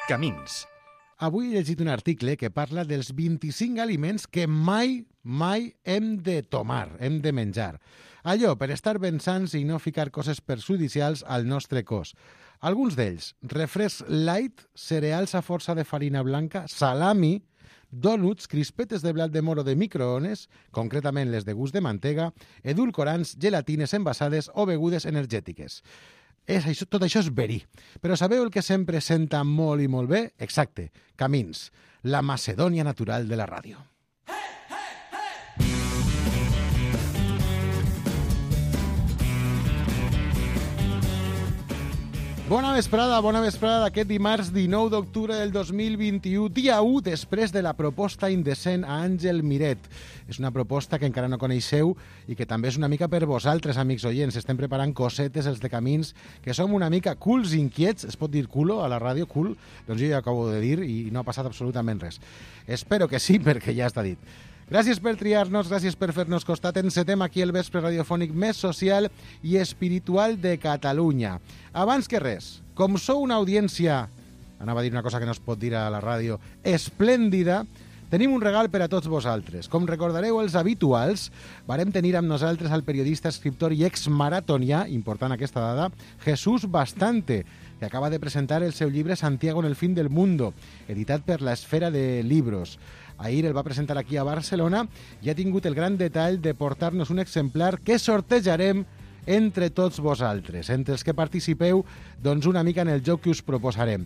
Camins. Avui he llegit un article que parla dels 25 aliments que mai hem de tomar, hem de menjar. Allò, per estar ben sans i no ficar coses perjudicials al nostre cos. Alguns d'ells: refresc light, cereals a força de farina blanca, salami, dònuts, crispetes de blat de moro de microones, concretament les de gust de mantega, edulcorants, gelatines envasades o begudes energètiques. Tot això és verí. Però sabeu el que sempre senta molt i molt bé? Exacte, Camins, la Macedònia natural de la ràdio. Bona vesprada d'aquest dimarts 19 d'octubre del 2021, dia 1 després de la proposta indecent a Àngel Miret. És una proposta que encara no coneixeu i que també és una mica per vosaltres, amics oients. Estem preparant cosetes, els de Camins, que som una mica culs inquiets. Es pot dir culo a la ràdio, cul? Doncs jo ja acabo de dir i no ha passat absolutament res. Espero que sí, perquè ja està dit. Gràcies per triar-nos, gràcies per fer-nos costat. Encetem aquí el vespre radiofònic més social i espiritual de Catalunya. Abans que res, com sou una audiència, anava a dir una cosa que no es pot dir a la ràdio, esplèndida, tenim un regal per a tots vosaltres. Com recordareu els habituals, varem tenir amb nosaltres el periodista, escriptor i exmaratonià, important aquesta dada, Jesús Bastante, que acaba de presentar el seu llibre Santiago en el fin del mundo, editat per la Esfera de Libros. Ahir el va presentar aquí a Barcelona i ha tingut el gran detall de portar-nos un exemplar que sortejarem entre tots vosaltres, entre els que participeu, doncs una mica en el joc que us proposarem.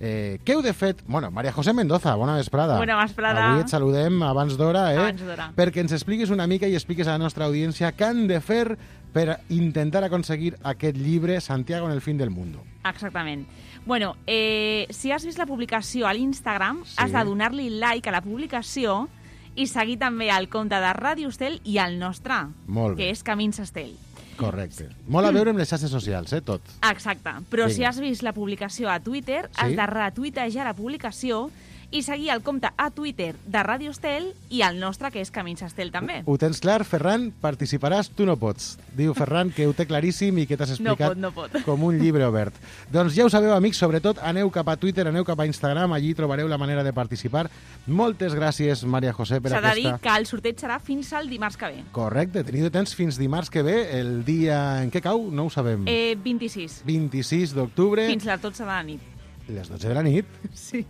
Què heu de fet? Bueno, María José Mendoza, bona vesprada. Bona vesprada. Avui et saludem abans d'hora, Abans d'hora. perquè ens expliquis una mica i expliquis a la nostra audiència què han de fer per intentar aconseguir aquest llibre Santiago en el fin del mundo. Exactament. Bueno, si has vist la publicació a l'Instagram, Sí. has de donar-li like a la publicació i seguir també el compte de Ràdio Estel i el nostre, Molt bé. que és Camins Estel. Correcte. Molt a veure amb les xarxes socials, tot. Exacte. Però Vinga. si has vist la publicació a Twitter, Sí. has de retuitejar la publicació i seguir el compte a Twitter de Ràdio Estel i el nostre, que és Camins Estel també. Ho tens clar, Ferran? Participaràs? Tu no pots. Diu Ferran que ho té claríssim i que t'has explicat No pot. com un llibre obert. Doncs ja ho sabeu, amics, sobretot aneu cap a Twitter, aneu cap a Instagram, allí trobareu la manera de participar. Moltes gràcies, María José, per S'ha de dir aquesta... que el sorteig serà fins al dimarts que ve. Correcte, teniu temps fins dimarts que ve, el dia en què cau, no ho sabem. 26. 26 d'octubre, Fins les 12 de la nit. les 12 de la nit. Sí.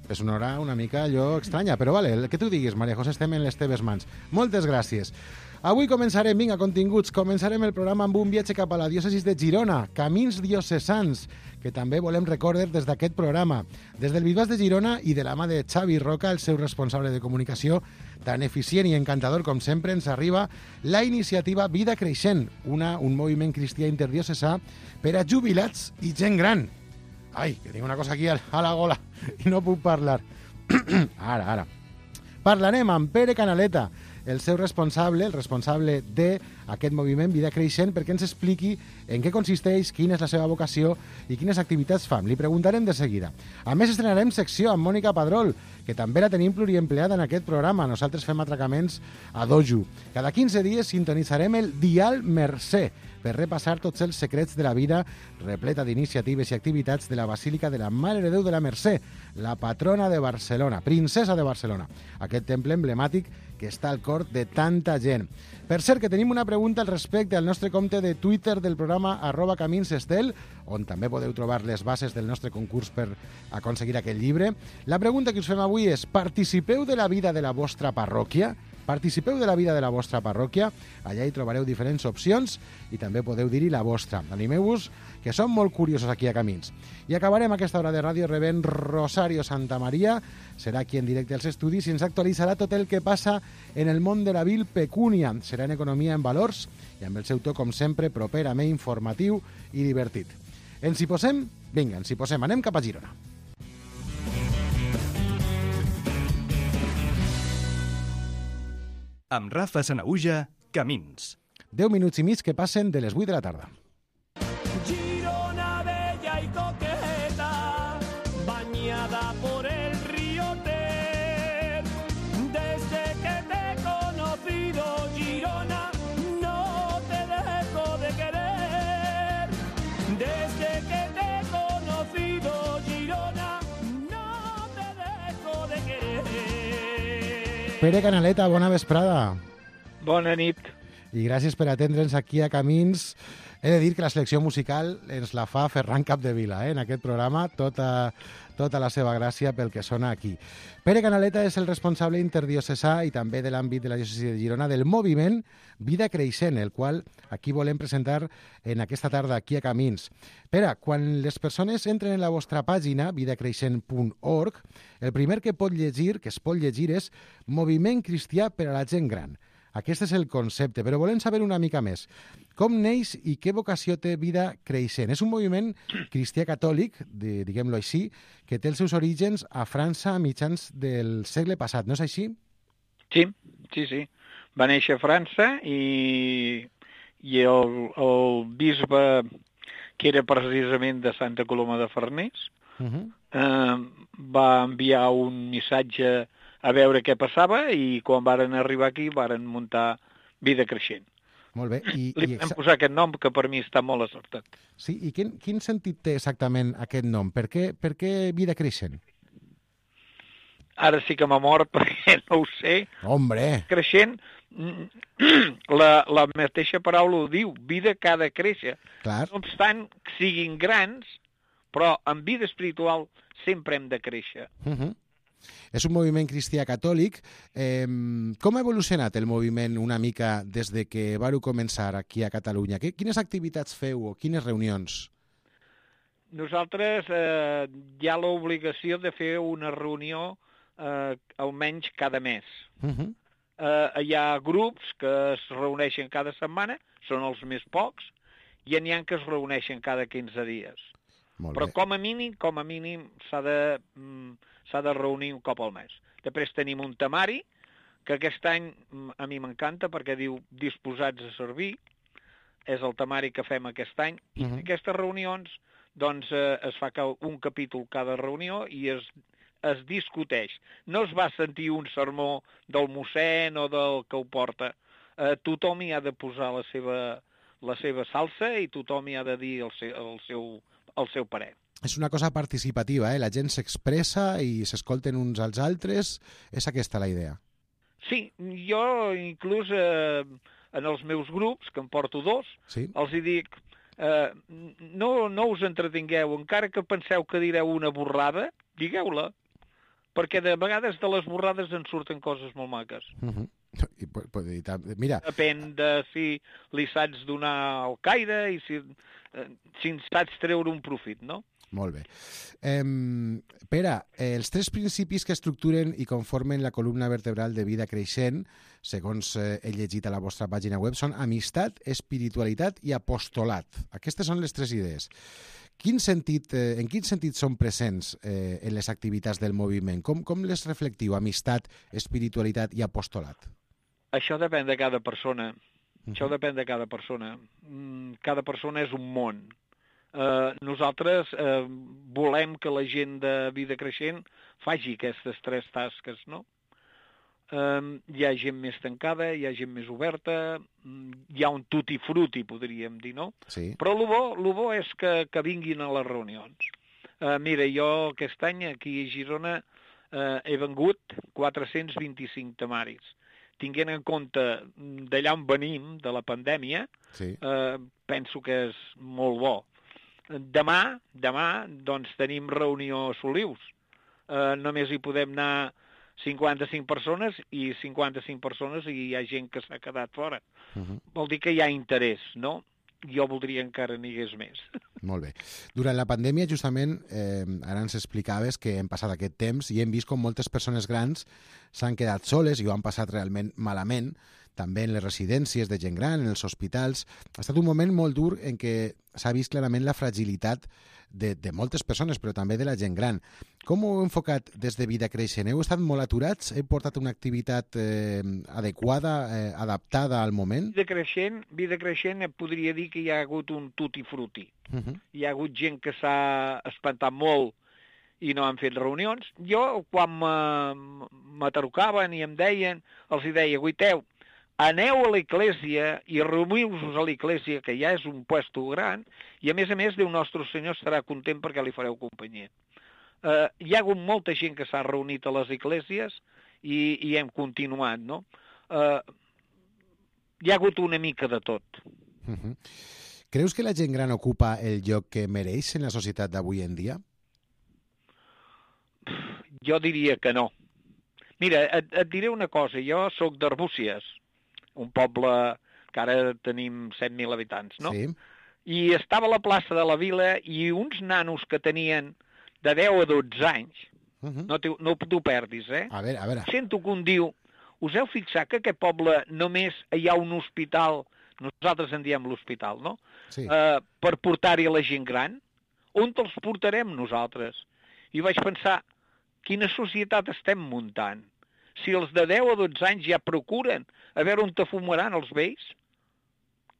És una hora una mica allò estranya, però vale, el que tu diguis, María José, estem en les teves mans. Moltes gràcies. Avui començarem, vinga, continguts, començarem el programa amb un viatge cap a la diòcesis de Girona, Camins Diocesans, que també volem recordar des d'aquest programa. Des del Bisbat de Girona i de la mà de Xavi Roca, el seu responsable de comunicació, tan eficient i encantador com sempre, ens arriba la iniciativa Vida Creixent, un moviment cristià interdiocesà per a jubilats i gent gran. Ai, que tinc una cosa aquí a la gola i no puc parlar. Ara. Parlarem amb Pere Canaleta, el seu responsable, el responsable d'aquest moviment Vida Creixent, perquè ens expliqui en què consisteix, quina és la seva vocació i quines activitats fan. Li preguntarem de seguida. A més, estrenarem secció amb Mònica Padrol, que també la tenim pluriempleada en aquest programa. Nosaltres fem atracaments a dojo. Cada 15 dies sintonitzarem el Dial Mercè, per repassar tots els secrets de la vida repleta d'iniciatives i activitats de la Basílica de la Mare de Déu de la Mercè, la patrona de Barcelona, princesa de Barcelona, aquest temple emblemàtic que està al cor de tanta gent. Per cert, que tenim una pregunta al respecte al nostre compte de Twitter del programa @caminsestel, on també podeu trobar les bases del nostre concurs per aconseguir aquest llibre. La pregunta que us fem avui és: participeu de la vida de la vostra parròquia? Participeu de la vida de la vostra parròquia, allà hi trobareu diferents opcions i també podeu dir-hi la vostra. Animeu-vos, que som molt curiosos aquí a Camins. I acabarem aquesta hora de ràdio rebent Rosario Santamaría, serà aquí en directe als estudis i ens actualitzarà tot el que passa en el món de la vil pecúnia. Serà en Economia en Valors i amb el seu to, com sempre, properament informatiu i divertit. Ens hi posem? Vinga, ens hi posem. Anem cap a Girona. Amb Rafa Sanaüja, Camins. 10 minuts i mig que passen de les 8 de la tarda. Girona bella y coqueta, bañada por el río Ter. Desde que te he conocido, Girona, no te dejo de querer. Desde que te he conocido, Girona, no Pere Canaleta, bona vesprada. Bona nit. I gràcies per atendre'ns aquí a Camins. He de dir que la selecció musical ens la fa Ferran Capdevila, en aquest programa, tota la seva gràcia pel que sona aquí. Pere Canaleta és el responsable interdiocesà i també de l'àmbit de la diòcesi de Girona del moviment Vida Creixent, el qual aquí volem presentar en aquesta tarda aquí a Camins. Pere, quan les persones entren en la vostra pàgina, vidacreixent.org, el primer que es pot llegir és Moviment Cristià per a la gent gran. Aquest és el concepte, però volem saber una mica més. Com neix i què vocació té Vida Creixent? És un moviment cristià catòlic, diguem-lo així, que té els seus orígens a França a mitjans del segle passat, no és així? Sí. Va néixer a França i el bisbe, que era precisament de Santa Coloma de Farners, va enviar un missatge a veure què passava i quan varen arribar aquí varen muntar Vida Creixent. Molt bé. Li vam posar aquest nom que per mi està molt acertat. Sí, i quin sentit té exactament aquest nom? Per què Vida Creixent? Ara sí que m'ha mort perquè no ho sé. Hombre! Creixent, la mateixa paraula ho diu, vida que ha de créixer. Clar. No obstant que siguin grans, però en vida espiritual sempre hem de créixer. És un moviment cristià catòlic. Com ha evolucionat el moviment una mica des de que vareu començar aquí a Catalunya? Quines activitats feu o quines reunions? Nosaltres hi ha l'obligació de fer una reunió almenys cada mes. Hi ha grups que es reuneixen cada setmana, són els més pocs, i n'hi ha que es reuneixen cada 15 dies. Però com a mínim s'ha de reunir un cop al mes. Després tenim un temari, que aquest any a mi m'encanta perquè diu disposats a servir, és el temari que fem aquest any, i en aquestes reunions doncs, es fa un capítol cada reunió i es discuteix. No es va sentir un sermó del mossèn o del que ho porta. Tothom hi ha de posar la seva salsa i tothom hi ha de dir el seu parer. És una cosa participativa, la gent s'expressa i s'escolten uns als altres. És aquesta la idea? Sí, jo inclús en els meus grups, que en porto 2, els hi dic no us entretingueu, encara que penseu que direu una borrada, digueu-la, perquè de vegades de les borrades en surten coses molt maques. Mira. Depèn de si li saps donar al caire i si en saps treure un profit, no? Molt bé. Pere, els 3 principis que estructuren i conformen la columna vertebral de Vida Creixent, segons he llegit a la vostra pàgina web, són amistat, espiritualitat i apostolat. Aquestes són les 3 idees. En quin sentit són presents en les activitats del moviment? Com les reflectiu, amistat, espiritualitat i apostolat? Això depèn de cada persona. Cada persona és un món. Nosaltres volem que la gent de Vida Creixent faci aquestes 3 tasques, no? Hi ha gent més tancada, hi ha gent més oberta, hi ha un tutti frutti, podríem dir, no? Sí. Però el bo és que vinguin a les reunions. Mira, jo aquest any aquí a Girona he vengut 425 temaris. Tinguent en compte d'allà on venim, de la pandèmia, penso que és molt bo. Demà, doncs, tenim reunió a Solius. Només hi podem anar 55 persones i 55 persones i hi ha gent que s'ha quedat fora. Vol dir que hi ha interès, no? Jo voldria encara n'hi hagués més. Molt bé. Durant la pandèmia, justament, ara ens explicaves que hem passat aquest temps i hem vist com moltes persones grans s'han quedat soles i ho han passat realment malament, també en les residències de gent gran, en els hospitals. Ha estat un moment molt dur en què s'ha vist clarament la fragilitat de moltes persones, però també de la gent gran. Com ho heu enfocat des de Vida Creixent? Heu estat molt aturats? Heu portat una activitat adequada, adaptada al moment? Vida Creixent podria dir que hi ha hagut un tutti frutti. Hi ha hagut gent que s'ha espantat molt i no han fet reunions. Jo, quan me trucaven i em deien, els hi deia, guaiteu, aneu a l'església i reuniu-vos a l'església, que ja és un puesto gran, i a més, Déu nostre Senyor estarà content perquè li fareu companyia. Hi ha hagut molta gent que s'ha reunit a les esglésies i hem continuat, no? Hi ha hagut una mica de tot. Creus que la gent gran ocupa el lloc que mereix en la societat d'avui en dia? Jo diria que no. Mira, et diré una cosa. Jo sóc d'Arbúcies, un poble que ara tenim 7.000 habitants, no? Sí. I estava a la plaça de la Vila i uns nanos que tenien de 10 a 12 anys, no t'ho perdis, A veure. Sento que un diu, us heu fixat que aquest poble només hi ha un hospital, nosaltres en diem l'hospital, no? Sí. Per portar-hi a la gent gran? On els portarem nosaltres? I vaig pensar, quina societat estem muntant? Si els de 10 a 12 anys ja procuren a veure on te fumaran els vells,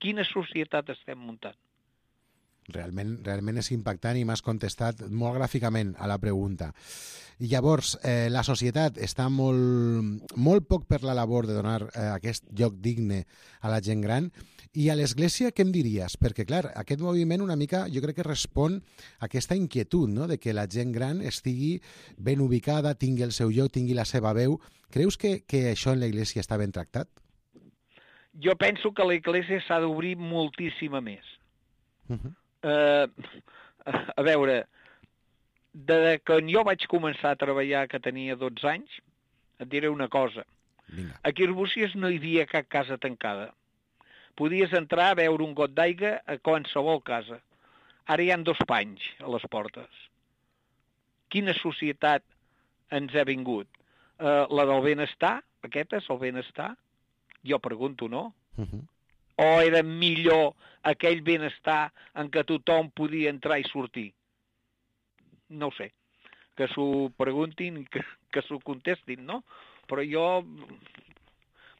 quina societat estem muntant? Realment és impactant i m'has contestat molt gràficament a la pregunta. I llavors, la societat està molt poc per la labor de donar aquest lloc digne a la gent gran. I a l'Església què em diries? Perquè, clar, aquest moviment una mica jo crec que respon a aquesta inquietud, no?, de que la gent gran estigui ben ubicada, tingui el seu lloc, tingui la seva veu. Creus que això en l'Església està ben tractat? Jo penso que l'Església s'ha d'obrir moltíssima més. A veure, de que jo vaig començar a treballar que tenia 12 anys, et diré una cosa. Vinga. Aquí a Arbúcies no hi havia cap casa tancada. Podies entrar a beure un got d'aigua a qualsevol casa. Ara hi ha 2 panys a les portes. Quina societat ens ha vingut? La del benestar? Aquest és el benestar? Jo pregunto, no? O era millor aquell benestar en què tothom podia entrar i sortir? No ho sé. Que s'ho preguntin i que s'ho contestin, no? Però jo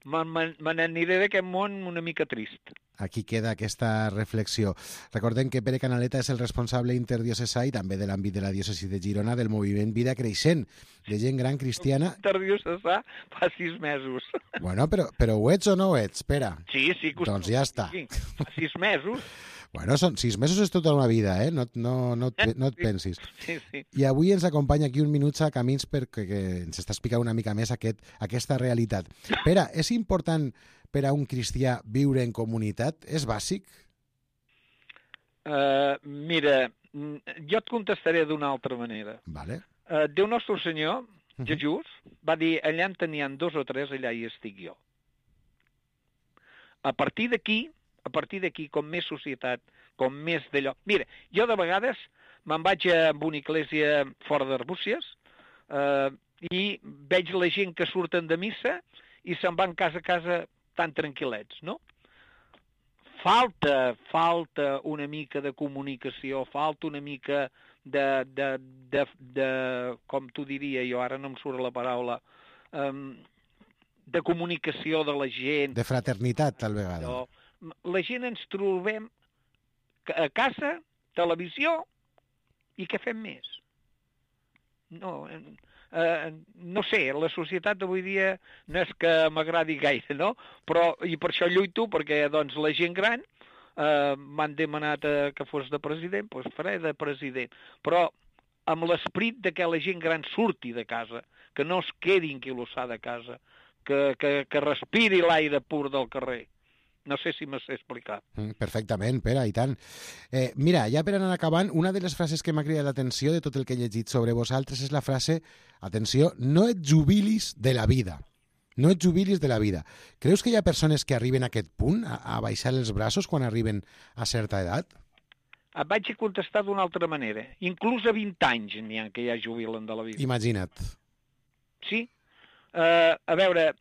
me n'aniré d'aquest món una mica trist. Aquí queda aquesta reflexió. Recordem que Pere Canaleta és el responsable interdiocesà i també de l'àmbit de la diòcesi de Girona del moviment Vida Creixent, de gent gran cristiana. Interdiocesà fa 6 mesos. Bueno, però ho ets o no ho ets, Pere? Sí. Doncs ja està. Sí, fa 6 mesos. Bueno, 6 mesos és tota una vida, no et pensis. Sí. I avui ens acompanya aquí un minut a Camins perquè ens està explicant una mica més aquesta realitat. Pere, és important per a un cristià viure en comunitat? És bàsic? Mira, jo et contestaré d'una altra manera. Vale. Déu nostre Senyor, Jesús, va dir, allà en tenien 2 o 3, allà hi estic jo. A partir d'aquí, com més societat, com més d'allò... Mira, jo de vegades me'n vaig a una església fora d'Arbúcies i veig la gent que surten de missa i se'n van casa a casa tan tranquil·lets, no? Falta una mica de comunicació, falta una mica de com t'ho diria jo, ara no em surt la paraula, de comunicació de la gent. De fraternitat, tal vegada. La gent ens trobem a casa, televisió, i què fem més? No sé, la societat d'avui dia no és que m'agradi gaire, no? Però, i per això lluito, perquè doncs, la gent gran m'han demanat que fos de president, doncs faré de president. Però amb l'esperit de que la gent gran surti de casa, que no es quedi enquilossada a casa, que respiri l'aire pur del carrer. No sé si m'has explicat. Perfectament, Pere, i tant. Mira, ja per anar acabant, una de les frases que m'ha cridat l'atenció de tot el que he llegit sobre vosaltres és la frase, atenció, no et jubilis de la vida. No et jubilis de la vida. Creus que hi ha persones que arriben a aquest punt, a baixar els braços quan arriben a certa edat? Et vaig contestar d'una altra manera. Inclús a 20 anys n'hi ha que ja jubilen de la vida. Imagina't. Sí. A veure,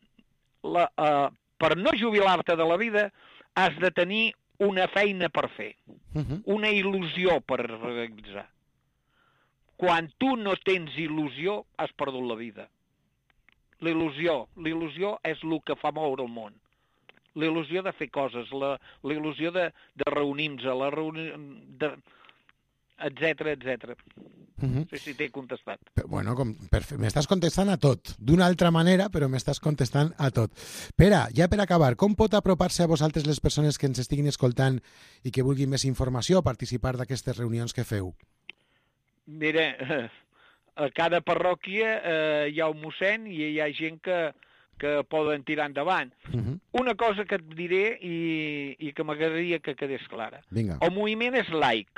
per no jubilar-te de la vida has de tenir una feina per fer, una il·lusió per realitzar. Quan tu no tens il·lusió, has perdut la vida. L'il·lusió és el que fa moure el món. La il·lusió de fer coses, la il·lusió de reunir-nos, etc. No sé si t'he contestat. Bueno, m'estàs contestant a tot. D'una altra manera, però m'estàs contestant a tot. Pere, ja per acabar, com pot apropar-se a vosaltres les persones que ens estiguin escoltant i que vulguin més informació o participar d'aquestes reunions que feu? Mira, a cada parròquia hi ha un mossèn i hi ha gent que poden tirar endavant. Una cosa que et diré i que m'agradaria que quedés clara. Vinga. El moviment és laic.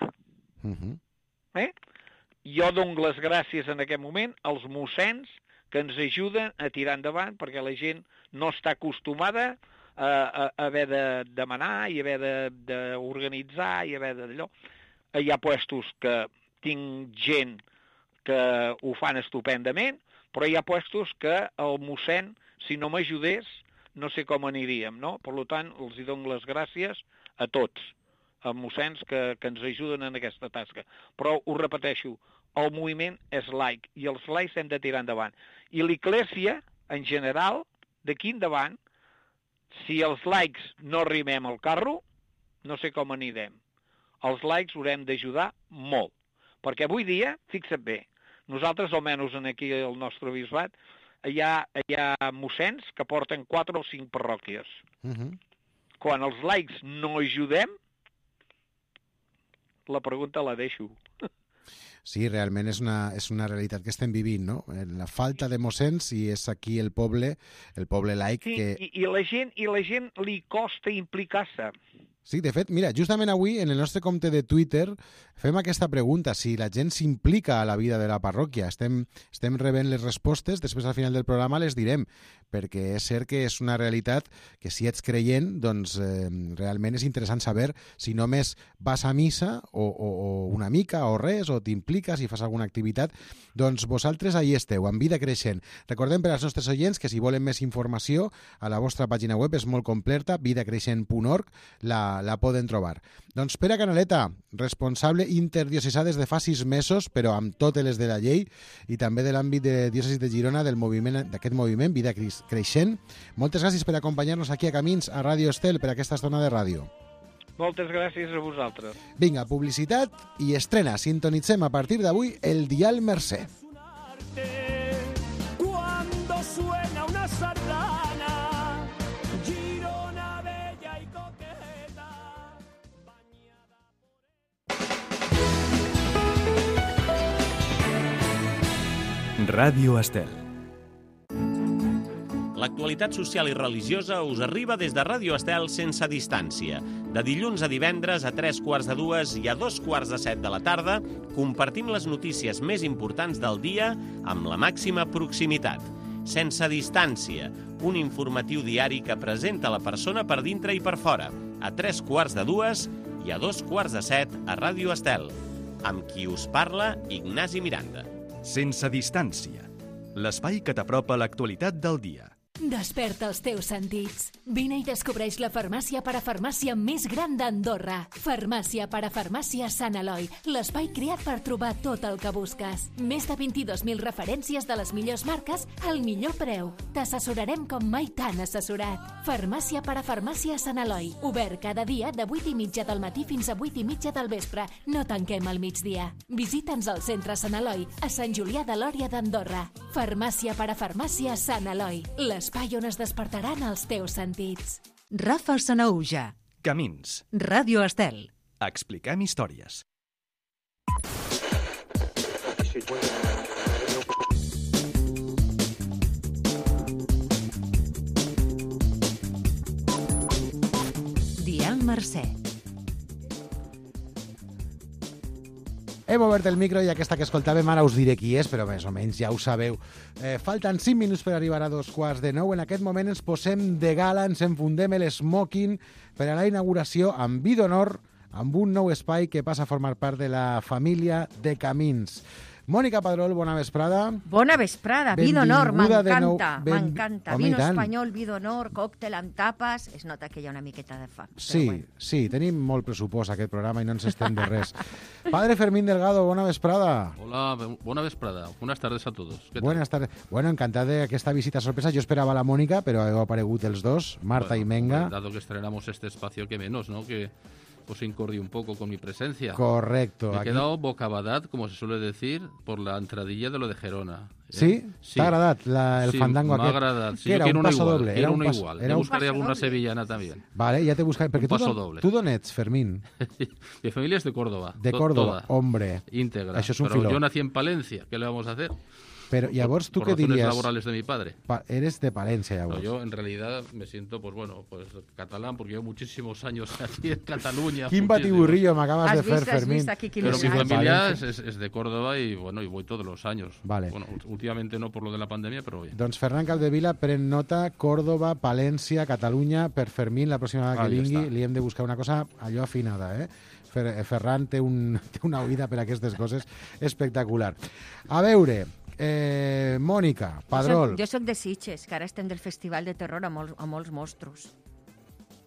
Jo dono les gràcies en aquest moment als mossens que ens ajuden a tirar endavant perquè la gent no està acostumada a haver de demanar i haver d'organitzar i haver d'allò. Hi ha puestos que tinc gent que ho fan estupendament, però hi ha puestos que el mossèn, si no m'ajudés, no sé com aniríem, no? Per tant, els dono les gràcies a tots, a mossens que ens ajuden en aquesta tasca. Però ho repeteixo, el moviment és laic i els laics hem de tirar endavant. I l'Església, en general, d'aquí endavant, si els laics no arrimem al carro, no sé com anirem. Els laics haurem d'ajudar molt. Perquè avui dia, fixa't bé, nosaltres, almenys aquí al nostre bisbat, hi ha mossens que porten 4 o 5 parròquies. Quan els laics no ajudem, la pregunta la deixo. Sí, realment és una realitat que estem vivint, no? La falta de mossens, i és aquí el poble laic que... I la gent li costa implicar-se. Sí, de fet, mira, justament avui en el nostre compte de Twitter fem aquesta pregunta, si la gent s'implica a la vida de la parròquia. Estem rebent les respostes, després al final del programa les direm, perquè és cert que és una realitat que si ets creient, doncs realment és interessant saber si només vas a missa o una mica o res, o t'impliques i fas alguna activitat. Doncs vosaltres ahí esteu, en Vida Creixent. Recordem per als nostres oients que si volen més informació a la vostra pàgina web és molt completa, vidacreixent.org, la poden trobar. Doncs Pere Canaleta, responsable interdiocesà des de fa 6 mesos, però amb totes les de la llei, i també de l'àmbit de diòcesis de Girona, d'aquest moviment, Vida Creixent. Moltes gràcies per acompanyar-nos aquí a Camins, a Ràdio Estel, per aquesta estona de ràdio. Moltes gràcies a vosaltres. Vinga, publicitat i estrena. Sintonitzem a partir d'avui el Dial Mercè. Cuando suena una sardana, Girona bella y coqueta, bañada por Ràdio Estel. L'actualitat social i religiosa us arriba des de Ràdio Estel sense distància. De dilluns a divendres a 3:45 i a 2:45 de la tarda compartim les notícies més importants del dia amb la màxima proximitat. Sense distància, un informatiu diari que presenta la persona per dintre i per fora, a 3:45 i a 2:45 a Ràdio Estel. Amb qui us parla, Ignasi Miranda. Sense distància. L'espai que t'apropa l'actualitat del dia. Desperta els teus sentits. Vine i descobreix la farmàcia parafarmàcia més gran d'Andorra. Farmàcia parafarmàcia Sant Eloi, l'espai creat per trobar tot el que busques. Més de 22.000 referències de les millors marques al millor preu. T'assessorarem com mai t'han assessorat. Farmàcia parafarmàcia Sant Eloi, obert cada dia de 8:30 del matí fins a 8:30 del vespre. No tanquem al migdia. Visita'ns al centre Sant Eloi, a Sant Julià de Lòria d'Andorra. Farmàcia parafarmàcia Sant Eloi, l'espai on es despertaran els teus sentits. Rafa Sanauja. Camins. Ràdio Estel. Expliquem històries. Dial Mercè. Hem obert el micro i aquesta que escoltàvem ara us diré qui és, però més o menys ja ho sabeu. Falten 5 minuts per arribar a 8:45. En aquest moment ens posem de gala, ens enfundem l'esmoking per a la inauguració amb vi d'honor, amb un nou espai que passa a formar part de la família de Camins. Mònica Padrol, bona vesprada. Bona vesprada, vi d'honor, m'encanta, m'encanta. Home, Vino espanyol, vi d'honor, còctel amb tapes. Es nota que hi ha una miqueta de fam. Sí, bueno. Sí, tenim molt pressupost aquest programa i no ens estem de res. Padre Fermín Delgado, bona vesprada. Hola, bona vesprada. Buenas tardes a todos. Buenas tardes. Bueno, encantat d'aquesta visita sorpresa. Jo esperava la Mònica, però heu aparegut els dos, Marta i Menga. Dado que estrenamos este espacio, que menos, ¿no? Que os incordie un poco con mi presencia. Correcto. Me he aquí- quedado bocabadat, como se suele decir, por la entradilla de lo de Gerona. Sí? T'ha agradat el Sí, fandango m'ha aquest? agradat. Sí, Què era, quiero un uno paso igual, doble? quiero Era un uno pas- igual. era Ya un buscaré paso alguna doble. sevillana también. Vale, ja te buscaré, perquè Un paso doble. tu d'on ets, Fermín? Mi familia es de Córdoba. De Córdoba, toda, hombre. íntegra. Això és un Pero filó. yo nací en Palencia, ¿qué le vamos a hacer? Però llavors tu por què razones diries? laborales de mi padre. Eres de Palència, No, llavors. yo en realidad me siento, pues bueno, pues catalán, porque llevo muchísimos años aquí en Cataluña. Quin muchísimos. batiburrillo m'acabes de fer, Has Fermín. vist aquí quin Pero mi Sí, enllaç? familia Valencia. es de Córdoba y bueno, y voy todos los años. Vale. Bueno, últimamente no por lo de la pandemia, pero bien. Doncs Ferran Capdevila pren nota, Córdoba, Palència, Catalunya, per Fermín, la pròxima vegada que Ahí vingui està. li hem de buscar una cosa allò afinada, eh? Ferran té una oïda per aquestes coses espectacular. A veure, Mònica, Padrol. Jo soc de Sitges, que ara estem del Festival de Terror a molts mostros.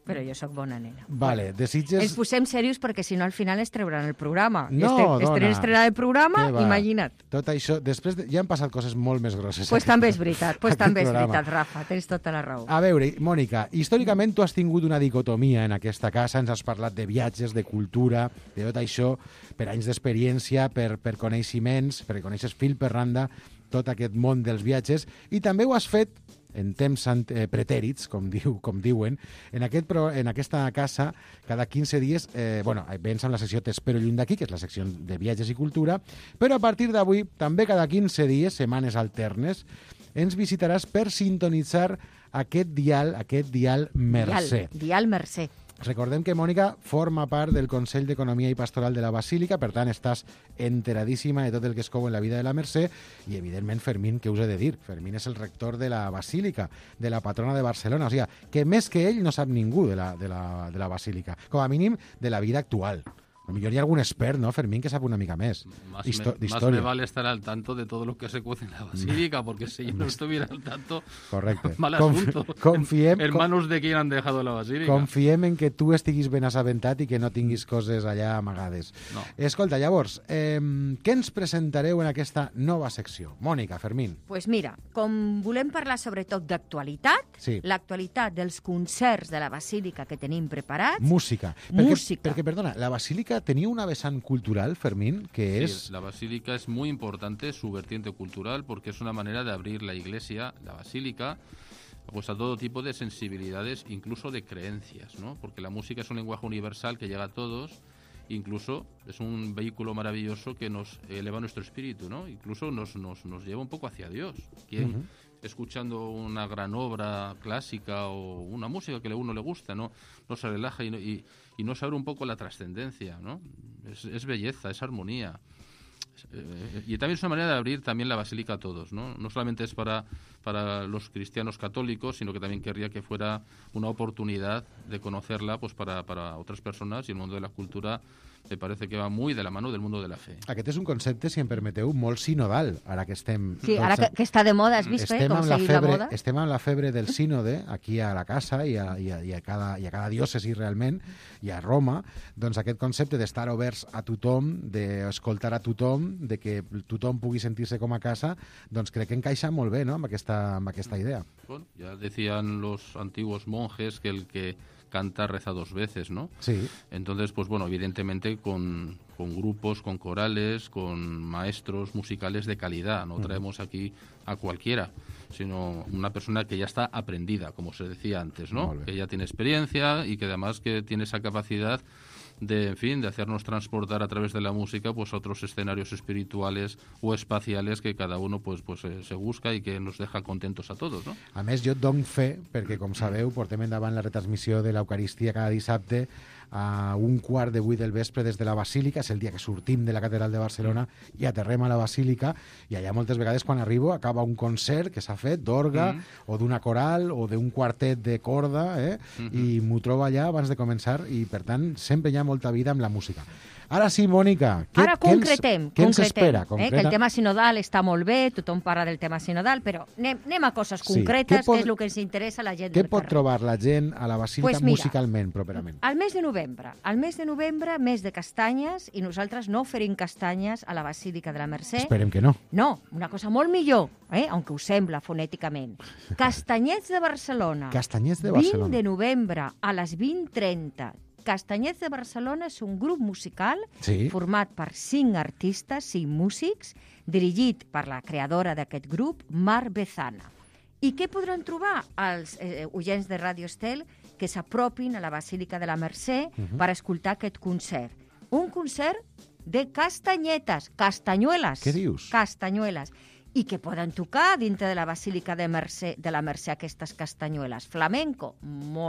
Però jo sóc bona nena. Vale, de Sitges... Ens posem serios perquè si no al final es trauran el programa. No, dona. Estrenar el programa, Què va? imagina't. Tot això, després ja han passat coses molt més grosses. Pues també és veritat, aquest també és programa. veritat, Rafa, tens tota la raó. A veure, Mònica, històricament tu has tingut una dicotomia en aquesta casa, ens has parlat de viatges, de cultura, de tot això, per anys d'experiència, per coneixements, perquè coneixes fil per randa tot aquest món dels viatges, i també ho has fet en temps pretèrits, com diuen, en aquesta casa, cada 15 dies, vens amb la secció T'espero lluny d'aquí, que és la secció de viatges i cultura, però a partir d'avui, també cada 15 dies, setmanes alternes, ens visitaràs per sintonitzar aquest dial Mercè. Dial Mercè. Recordem que Mònica forma part del Consell d'Economia i Pastoral de la Basílica, per tant, estàs enteradíssima de tot el que es cou en la vida de la Mercè, i, evidentment, Fermín, què us he de dir? Fermín és el rector de la Basílica, de la patrona de Barcelona, o sigui, que més que ell no sap ningú de la Basílica, com a mínim de la vida actual. A lo mejor hi ha algun expert, ¿no, Fermín, que sabe una mica més Más d'història. me vale estar al tanto de todo lo que se cuece en la basílica, porque si yo no estuviera al tanto, Correcte. mal asunto. Confiem, en manos de quien han dejado la basílica. confiem en que tu estiguis ben assabentat i que no tinguis coses allà amagades. No. Escolta, llavors, què ens presentareu en aquesta nova secció? Mònica, Fermín. Pues mira, com volem parlar sobretot d'actualitat, Sí. l'actualitat dels concerts de la Basílica que tenim preparats, Música. Perquè, perdona, la Basílica tenia una vessant cultural, Fermín, que és... Sí, la basílica es muy importante, su vertiente cultural, porque es una manera de abrir la iglesia, la basílica, pues a todo tipo de sensibilidades, incluso de creencias, ¿no? Porque la música es un lenguaje universal que llega a todos, incluso es un vehículo maravilloso que nos eleva nuestro espíritu, ¿no? Incluso nos lleva un poco hacia Dios. ¿Quién, escuchando una gran obra clásica o una música que a uno le gusta, no se relaja y no sabe un poco la trascendencia, ¿no? Es belleza, es armonía. Y también es una manera de abrir también la basílica a todos, ¿no? No solamente es para los cristianos católicos, sino que también querría que fuera una oportunidad de conocerla pues para otras personas, y el mundo de la cultura me parece que va muy de la mano del mundo de la fe. Aquest és un concepte, si em permeteu, molt sinodal, ara que estem... Sí, ara que està de moda, has vist, com seguir la moda? Estem amb la febre del sínode, aquí a la casa i a cada diòcesi realment, i a Roma, doncs aquest concepte d'estar oberts a tothom, d'escoltar a tothom, de que tothom pugui sentir-se com a casa, doncs crec que encaixa molt bé, no?, amb aquesta idea. Bueno, ya decían los antiguos monjes que el que canta reza dos veces, ¿no? Sí. Entonces, pues bueno, evidentemente con grupos, con corales, con maestros musicales de calidad. No traemos aquí a cualquiera, sino una persona que ya está aprendida, como se decía antes, ¿no? Que ya tiene experiencia y que además que tiene esa capacidad de, en fin, de hacernos transportar a través de la música pues a otros escenarios espirituales o espaciales que cada uno pues se busca y que nos deja contentos a todos, ¿no? A més, jo et dono fe, perquè, com sabeu, portem endavant la retransmissió de l'Eucaristia cada dissabte a 7:15 del vespre des de la Basílica. És el dia que sortim de la Catedral de Barcelona i aterrem a la Basílica, i allà moltes vegades quan arribo acaba un concert que s'ha fet d'orga o d'una coral o d'un quartet de corda, i m'ho trobo allà abans de començar, i per tant sempre hi ha molta vida amb la música. Ara sí, Mònica, Ara concretem. Què ens espera? Que el tema sinodal està molt bé, tothom parla del tema sinodal, però anem a coses concretes, que és el que ens interessa a la gent Què del pot carrer. trobar la gent a la Basílica Pues mira, musicalment, properament? Al mes de novembre, mes de castanyes, i nosaltres no oferim castanyes a la Basílica de la Mercè. Esperem que no. No, una cosa molt millor, aunque us sembla fonèticament. Castanyets de Barcelona. Castanyets de Barcelona. 20 de novembre a les 20:30. Castanyets de Barcelona és un grup musical Sí. format per 5 artistes, 5 músics, dirigit per la creadora d'aquest grup, Mar Bezana. I què podran trobar els oients de Ràdio Estel que s'apropin a la Basílica de la Mercè per escoltar aquest concert? Un concert de castanyetes, castanyueles. Què dius? Castanyueles. I que poden tocar dintre de la Basílica de la Mercè aquestes castanyueles. Flamenco.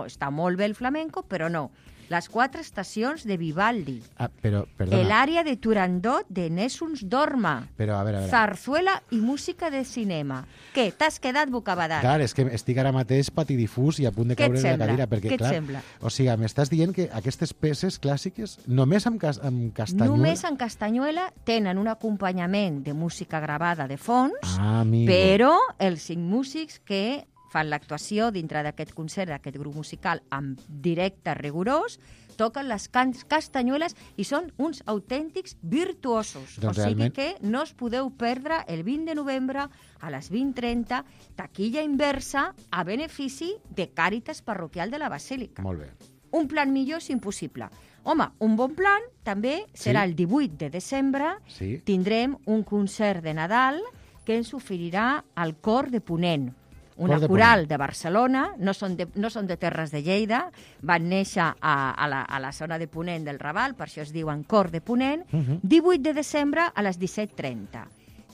Està molt bé el flamenco, però no. Les 4 estacions de Vivaldi. Però, perdona. L'àrea de Turandot de Nessuns Dorma. Però, a veure. Zarzuela i música de cinema. Què? T'has quedat bocabadat? Clar, és que estic ara mateix patidifús i a punt de caure de la cadira. Perquè, Què et clar, sembla? O sigui, m'estàs dient que aquestes peces clàssiques només amb castanyuela... Només en castanyuela tenen un acompanyament de música gravada de fons, amigo. però els 5 músics que fan l'actuació dintre d'aquest concert, d'aquest grup musical, amb directe rigorós, toquen les castanyueles i són uns autèntics virtuosos. Doncs o sigui realment... que no us podeu perdre el 20 de novembre a les 20:30, taquilla inversa a benefici de Càritas Parroquial de la Basílica. Molt bé. Un plan millor és impossible. Home, un bon plan també serà el 18 de desembre. Sí. Tindrem un concert de Nadal que ens oferirà el Cor de Ponent, una Cor de coral Ponent. de Barcelona, no són de Terres de Lleida, van néixer a la zona de Ponent del Raval, per això es diuen Cor de Ponent, 18 de desembre a les 17:30.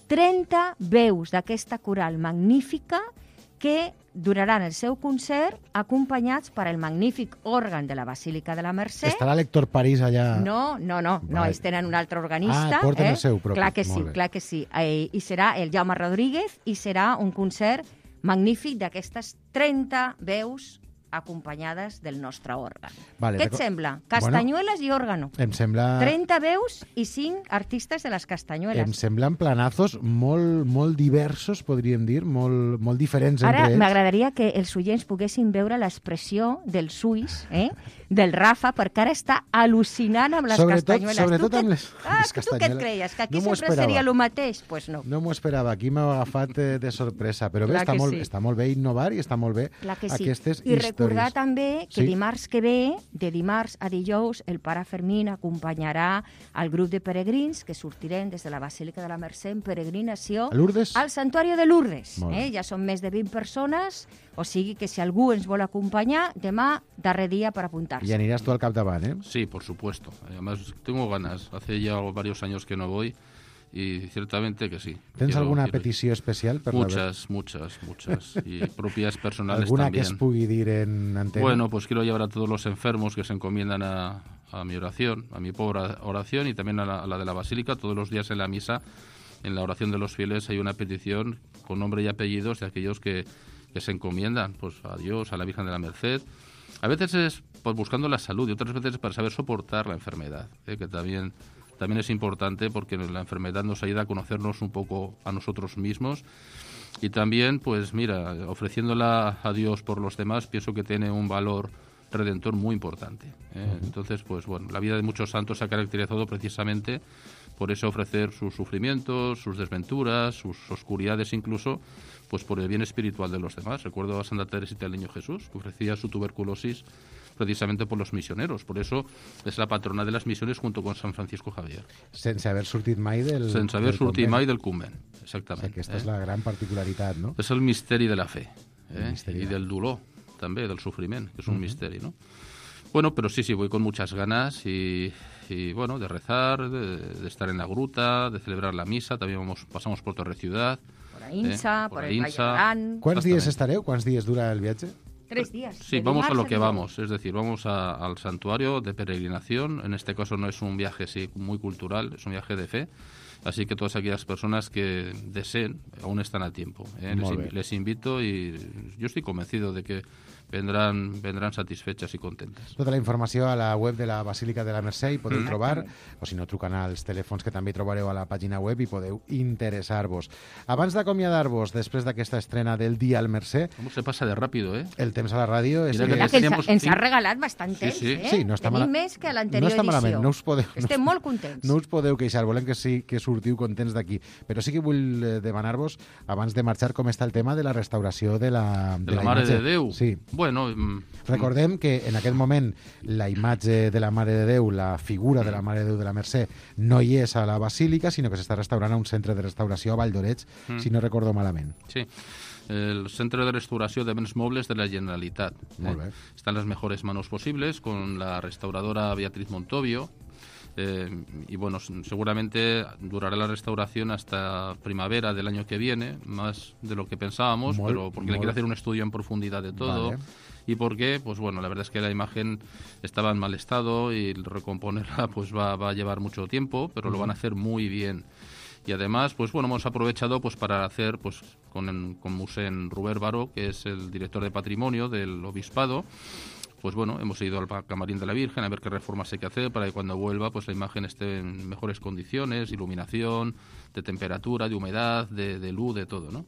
30 veus d'aquesta coral magnífica que duraran el seu concert acompanyats per el magnífic òrgan de la Basílica de la Mercè. Estarà l'Héctor París allà... No, ells tenen un altre organista. Porten el seu propi. Clar que sí, Molt bé. clar que sí. I serà el Jaume Rodríguez i serà un concert magnífic d'aquestes 30 veus acompanyades del nostre òrgan. Vale, Què et sembla? Castanyueles i òrgano. Em sembla... 30 veus i 5 artistes de les castanyueles. Em semblen planazos molt diversos, podríem dir, molt diferents Ara entre ells. m'agradaria que els oients poguessin veure l'expressió del suís, del Rafa, perquè ara està al·lucinant amb les castanyueles. Sobretot amb les Tu castanyules. què et creies? Que aquí No m'ho sempre seria el mateix? Doncs pues no. No m'ho esperava, aquí m'heu agafat de sorpresa, però bé, Clar que sí. està molt bé innovar i està molt bé Clar que sí. aquestes I històries. recordar també que Sí. dimarts que ve, de dimarts a dijous, el pare Fermín acompanyarà el grup de peregrins que sortirem des de la Basílica de la Mercè en peregrinació A Lourdes? al Santuari de Lourdes. Molt bé. Ja són més de 20 persones, o sigui que si algú ens vol acompanyar, demà, darrer dia per apuntar-se. I aniràs tu al capdavant, eh? Sí, por supuesto. Además, tengo ganas. Hace ya varios años que no voy y ciertamente que sí. Tens alguna quiero ir. petició especial? Per Muchas. Y propias personales ¿Alguna también. que es pugui dir en antena? Bueno, pues quiero llevar a todos los enfermos que se encomiendan a mi oración, a mi pobre oración y también a la de la Basílica. Todos los días en la misa, en la oración de los fieles, hay una petición con nombre y apellidos de aquellos que se encomiendan pues a Dios, a la Virgen de la Merced. A veces es pues, buscando la salud y otras veces para saber soportar la enfermedad, que también es importante porque la enfermedad nos ayuda a conocernos un poco a nosotros mismos y también, pues mira, ofreciéndola a Dios por los demás, pienso que tiene un valor redentor muy importante. Entonces, pues bueno, la vida de muchos santos se ha caracterizado precisamente por eso ofrecer sus sufrimientos, sus desventuras, sus oscuridades incluso, pues por el bien espiritual de los demás. Recuerdo a Santa Teresita del Niño Jesús, que ofrecía su tuberculosis precisamente por los misioneros. Por eso es la patrona de las misiones junto con San Francisco Javier. Sense haver sortit mai del Sense haver sortit convent. mai del convent, exactament. O sigui, aquesta és la gran particularitat, no? És el misteri de la fe, misteri i del dolor, també, del sofriment, que és un misteri, ¿no? Bueno, pero sí, voy con muchas ganas y bueno, de rezar, de estar en la gruta, de celebrar la misa, también pasamos por Torre Ciudad. Por Aïnsa, por el Valle Aïnsa. Gran. Quants dies estareu? Quants dies dura el viatge? 3 días. Sí, de vamos a lo dimarts que dijous. vamos, es decir, vamos al santuario de peregrinación. En este caso no es un viaje muy cultural, es un viaje de fe. Así que todas aquellas personas que deseen aún están a tiempo. Les invito y yo estoy convencido de que vendrán satisfechas i contentes. Tota la informació a la web de la Basílica de la Mercè hi podeu trobar, o si no, trucant als telèfons que també trobareu a la pàgina web i podeu interessar-vos. Abans d'acomiadar-vos, després d'aquesta estrena del Dia al Mercè... Com se passa de ràpido, eh? El temps a la ràdio... És Mira Que ens ha regalat bastant temps, Sí, no està Tenim més que a no l'anterior està malament, edició. no us podeu... Estem molt contents. No us podeu queixar, volem que s'ho sortiu contents d'aquí. Però sí que vull demanar-vos, abans de marxar, com està el tema de la restauració de la Mare imatge. de Déu. Sí. Bueno, recordem que en aquest moment la imatge de la Mare de Déu, la figura de la Mare de Déu de la Mercè, no hi és a la Basílica, sinó que s'està restaurant a un centre de restauració a Vall d'Oreig, si no recordo malament. Sí. El Centro de Restauració de Béns Mobles de la Generalitat. Molt bé. Está en las mejores manos posibles con la restauradora Beatriz Montovio. Y bueno, seguramente durará la restauración hasta primavera del año que viene, más de lo que pensábamos, pero porque le quiere hacer un estudio en profundidad de todo. Vale. Y porque, pues bueno, la verdad es que la imagen estaba en mal estado y recomponerla pues va a llevar mucho tiempo, pero lo van a hacer muy bien. Y además, pues bueno, hemos aprovechado pues para hacer pues con Musén Robert Baró, que es el director de patrimonio del obispado. Pues bueno, hemos ido al camarín de la Virgen a ver qué reformas hay que hacer para que cuando vuelva pues la imagen esté en mejores condiciones, iluminación, de temperatura, de humedad, de luz, de todo, ¿no?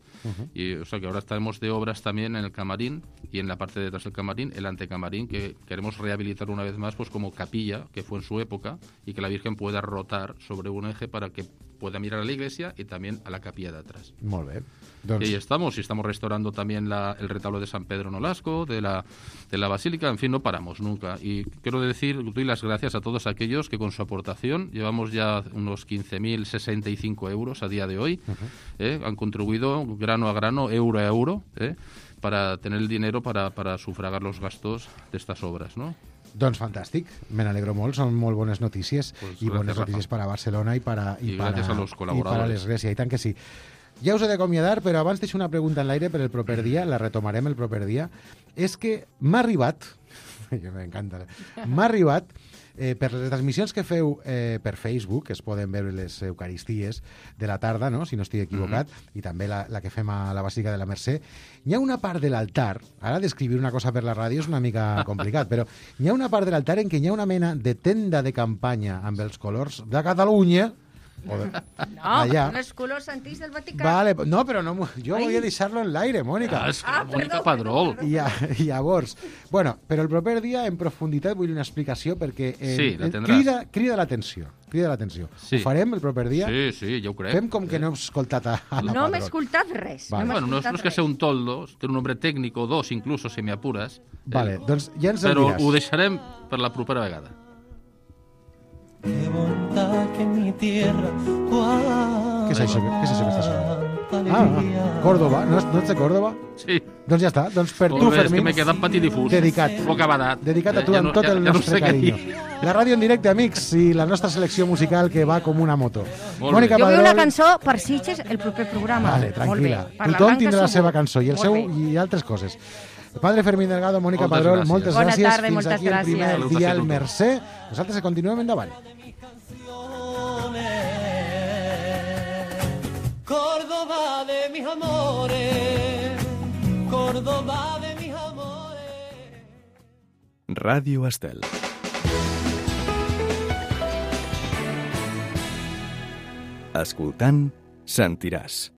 Y o sea que ahora estamos de obras también en el camarín y en la parte de detrás del camarín, el antecamarín, que queremos rehabilitar una vez más pues como capilla, que fue en su época, y que la Virgen pueda rotar sobre un eje para que pueda mirar a la iglesia y también a la capilla de atrás. Molt bé. Y ahí estamos, y estamos restaurando también el retablo de San Pedro Nolasco, de la Basílica, en fin, no paramos nunca. Y quiero doy las gracias a todos aquellos que con su aportación, llevamos ya unos 15.065 euros a día de hoy, han contribuido grano a grano, euro a euro, para tener el dinero para sufragar los gastos de estas obras, ¿no? Doncs fantàstic, me n'alegro molt, són molt bones notícies pues i bones notícies per a Barcelona i gràcies a los colaboradores. I per a l'Església, i tant que sí. Ja us he d'acomiadar, però abans deixo una pregunta en l'aire per el proper dia, la retomarem el proper dia. És que m'ha arribat, m'encanta, m'ha arribat per les transmissions que feu per Facebook, que es poden veure les Eucaristies de la tarda, no? Si no estic equivocat, i també la que fem a la Basílica de la Mercè, hi ha una part de l'altar, ara descriure una cosa per la ràdio és una mica complicat, però hi ha una part de l'altar en què hi ha una mena de tenda de campanya amb els colors de Catalunya, allà. Con els colors antics del Vaticà. Vale, no, però no, jo volia deixar-lo en l'aire, Mònica. Mònica Padrol. I llavors, bueno, però el proper dia en profunditat vull una explicació perquè crida l'atenció. Sí. Ho farem el proper dia? Sí, ja ho crec. Fem com que no hem escoltat a la No hem escoltat res. Vale. Bueno, no es que sea un toldo, té un nombre técnico, dos incluso, si me apures. Vale, doncs ja ens el diràs. diràs. Però ho deixarem per la propera vegada. Qué bondad que mi tierra. Què és això que està sonant? Córdoba. No ets de Córdoba? Sí. Doncs ja està. Doncs per tu, Fermín. És que m'he quedat patidifús. Dedicat. Poca badat. Dedicat a tu amb tot el nostre carinyo. La ràdio en directe, amics, i la nostra selecció musical que va com una moto. Mònica Padrol. Jo vull una cançó per Sitges el proper programa. Vale, tranquil·la. Tothom tindrà la seva cançó i el seu i altres coses. Padre Fermín Delgado, Mònica Padrol, moltes gràcies. Bona tarda i Fins moltes aquí el primer gràcies. dia al Mercè. Nosaltres continuem endavant. Córdoba de mis amores, Córdoba de mis amores. Ràdio Estel. Escoltant, sentiràs.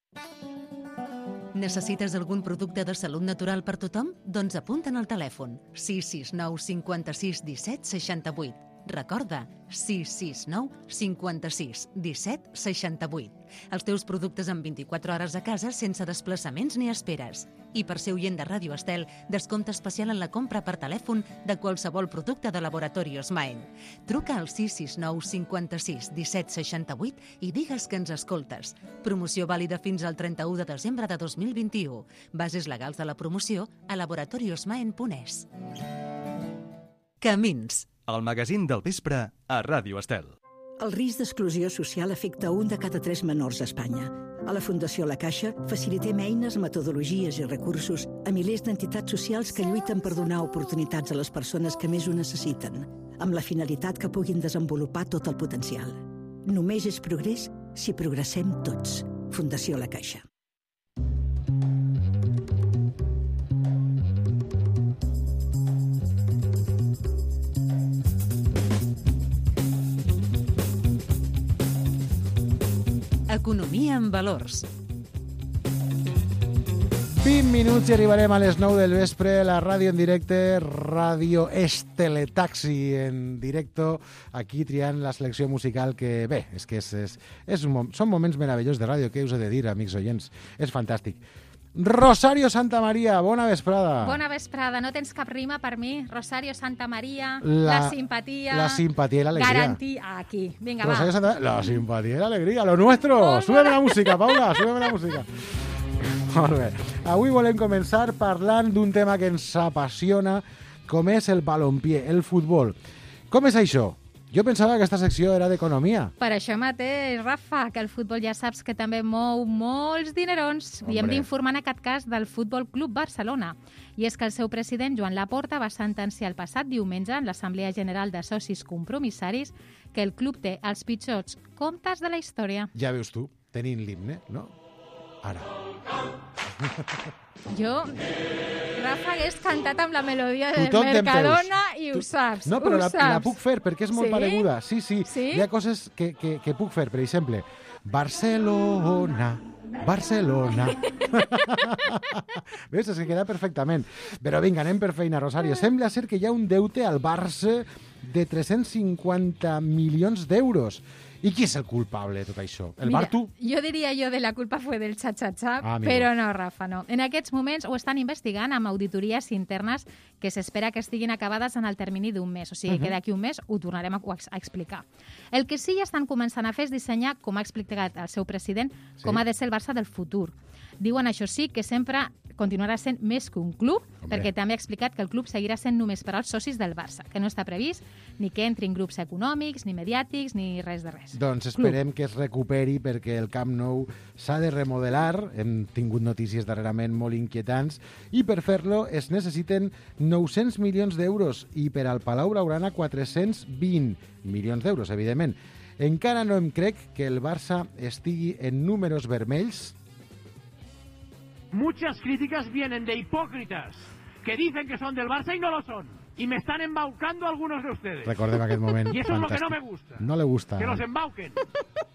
Necessites algun producte de salut natural per tothom? Doncs apunta'n al telèfon 669 56 17 68. Recorda, 669 56 17 68. Els teus productes en 24 hores a casa sense desplaçaments ni esperes. I per ser oient de Ràdio Estel, descompte especial en la compra per telèfon de qualsevol producte de Laboratorios Maen. Truca al 669 56 17 68 i digues que ens escoltes. Promoció vàlida fins al 31 de desembre de 2021. Bases legals de la promoció a laboratoriosmaen.es. Camins. El magazín del vespre a Ràdio Estel. El risc d'exclusió social afecta 1 de cada 3 menors a Espanya. A la Fundació La Caixa facilitem eines, metodologies i recursos a milers d'entitats socials que lluiten per donar oportunitats a les persones que més ho necessiten, amb la finalitat que puguin desenvolupar tot el potencial. Només és progrés si progressem tots. Fundació La Caixa. Economia en valors. 20 minuts i arribarem a les 9 del vespre. La ràdio en directe, Ràdio Esteletaxi en directo, aquí triant la selecció musical que, bé, és que són moments meravellosos de ràdio, què us he de dir, amics oients? És fantàstic. Rosario Santamaría, bona vesprada. Bona vesprada, no tens cap rima per mi? Rosario Santamaría, la simpatia... La simpatia i l'alegria. Garantia, aquí. Vinga, Rosario va. La simpatia i l'alegria, lo nuestro. Súbeme la música, Paula, súbeme la música. Molt bé. Avui volem començar parlant d'un tema que ens apassiona, com és el balompié, el futbol. Com és això? Jo pensava que aquesta secció era d'economia. Per això mateix, Rafa, que el futbol ja saps que també mou molts dinerons. I hem d'informar en aquest cas del Futbol Club Barcelona. I és que el seu president, Joan Laporta, va sentenciar el passat diumenge en l'Assemblea General de Socis Compromissaris que el club té els pitjors comptes de la història. Ja veus tu, tenint l'himne, no? Ara. Jo, Rafa, hagués cantat amb la melodia de Mercadona i ho saps. No, però la puc fer perquè és molt pareguda. Sí. Hi ha coses que puc fer. Per exemple, Barcelona. Veus? És que queda perfectament. Però vinga, anem per feina, Rosario. Sembla ser que hi ha un deute al Barça de 350 milions d'euros. I qui és el culpable de tot això? El Bartu? Jo diria de la culpa fue del xa-xa-xa, però no, Rafa, no. En aquests moments ho estan investigant amb auditories internes que s'espera que estiguin acabades en el termini d'un mes. O sigui, que d'aquí un mes ho tornarem a explicar. El que sí ja estan començant a fer és dissenyar, com ha explicat el seu president, com ha de ser el Barça del futur. Diuen, això sí, que sempre continuarà sent més que un club, perquè també ha explicat que el club seguirà sent només per als socis del Barça, que no està previst ni que entrin grups econòmics, ni mediàtics, ni res de res. Doncs esperem que es recuperi perquè el Camp Nou s'ha de remodelar. Hem tingut notícies darrerament molt inquietants i per fer-lo es necessiten 900 milions d'euros i per al Palau Blaugrana 420 milions d'euros, evidentment. Encara no em crec que el Barça estigui en números vermells. Muchas críticas vienen de hipócritas que dicen que son del Barça y no lo son. Y me están embaucando algunos de ustedes. Recordem aquest moment y eso fantàstic. Es lo que no me gusta. No le gusta. Que los embauquen,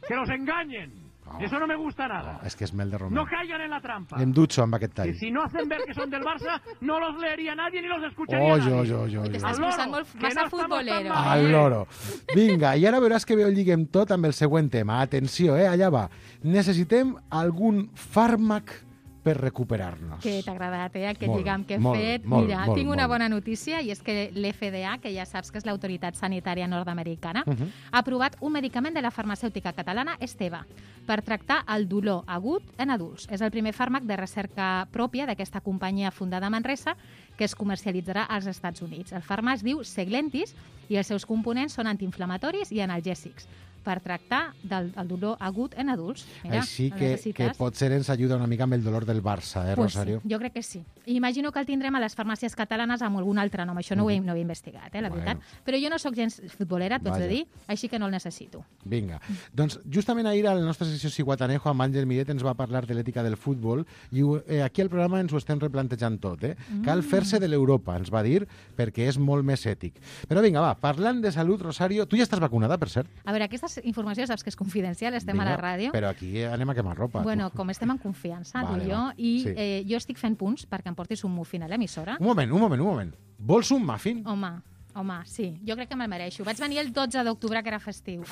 que los engañen. Eso no me gusta nada. És que és mel de Romeu. No caigan en la trampa. Em dutxo amb aquest tall. Que si no hacen ver que son del Barça, no los leería nadie ni los escucharía nadie. T'estàs posant molt massa futbolero. Al loro. Vinga, i ara veuràs que ho lliguem tot amb el següent tema. Atenció, allà va. Necessitem algun fàrmac per recuperar-nos. Que t'ha agradat, aquest lligam que he fet. Mira, tinc una bona notícia i és que l'FDA, que ja saps que és l'autoritat sanitària nord-americana, ha aprovat un medicament de la farmacèutica catalana Esteva per tractar el dolor agut en adults. És el primer fàrmac de recerca pròpia d'aquesta companyia fundada a Manresa que es comercialitzarà als Estats Units. El fàrmac es diu Seglentis i els seus components són antiinflamatoris i analgèsics per tractar del dolor agut en adults. Mira, així que potser ens ajuda una mica amb el dolor del Barça, Rosario? Sí, jo crec que sí. I imagino que el tindrem a les farmàcies catalanes amb algun altre nom. Això no ho he investigat, la veritat. Però jo no sóc gens futbolera, t'ho haig de dir, així que no el necessito. Vinga. Doncs justament ahir a la nostra secció Ciguatanejo amb Àngel Miret ens va parlar de l'ètica del futbol i aquí al programa ens ho estem replantejant tot. Cal fer-se de l'Europa, ens va dir, perquè és molt més ètic. Però vinga, va, parlant de salut, Rosario, tu ja estàs vacunada, per cert? A veure, aquesta informació saps que és confidencial, estem a la ràdio. Però aquí anem a quemar ropa. Bueno, com estem en confiança, tu i jo, i jo estic fent punts perquè em portis un muffin a l'emissora. Un moment. Vols un muffin? Home, sí, jo crec que me'l mereixo. Vaig venir el 12 d'octubre, que era festiu.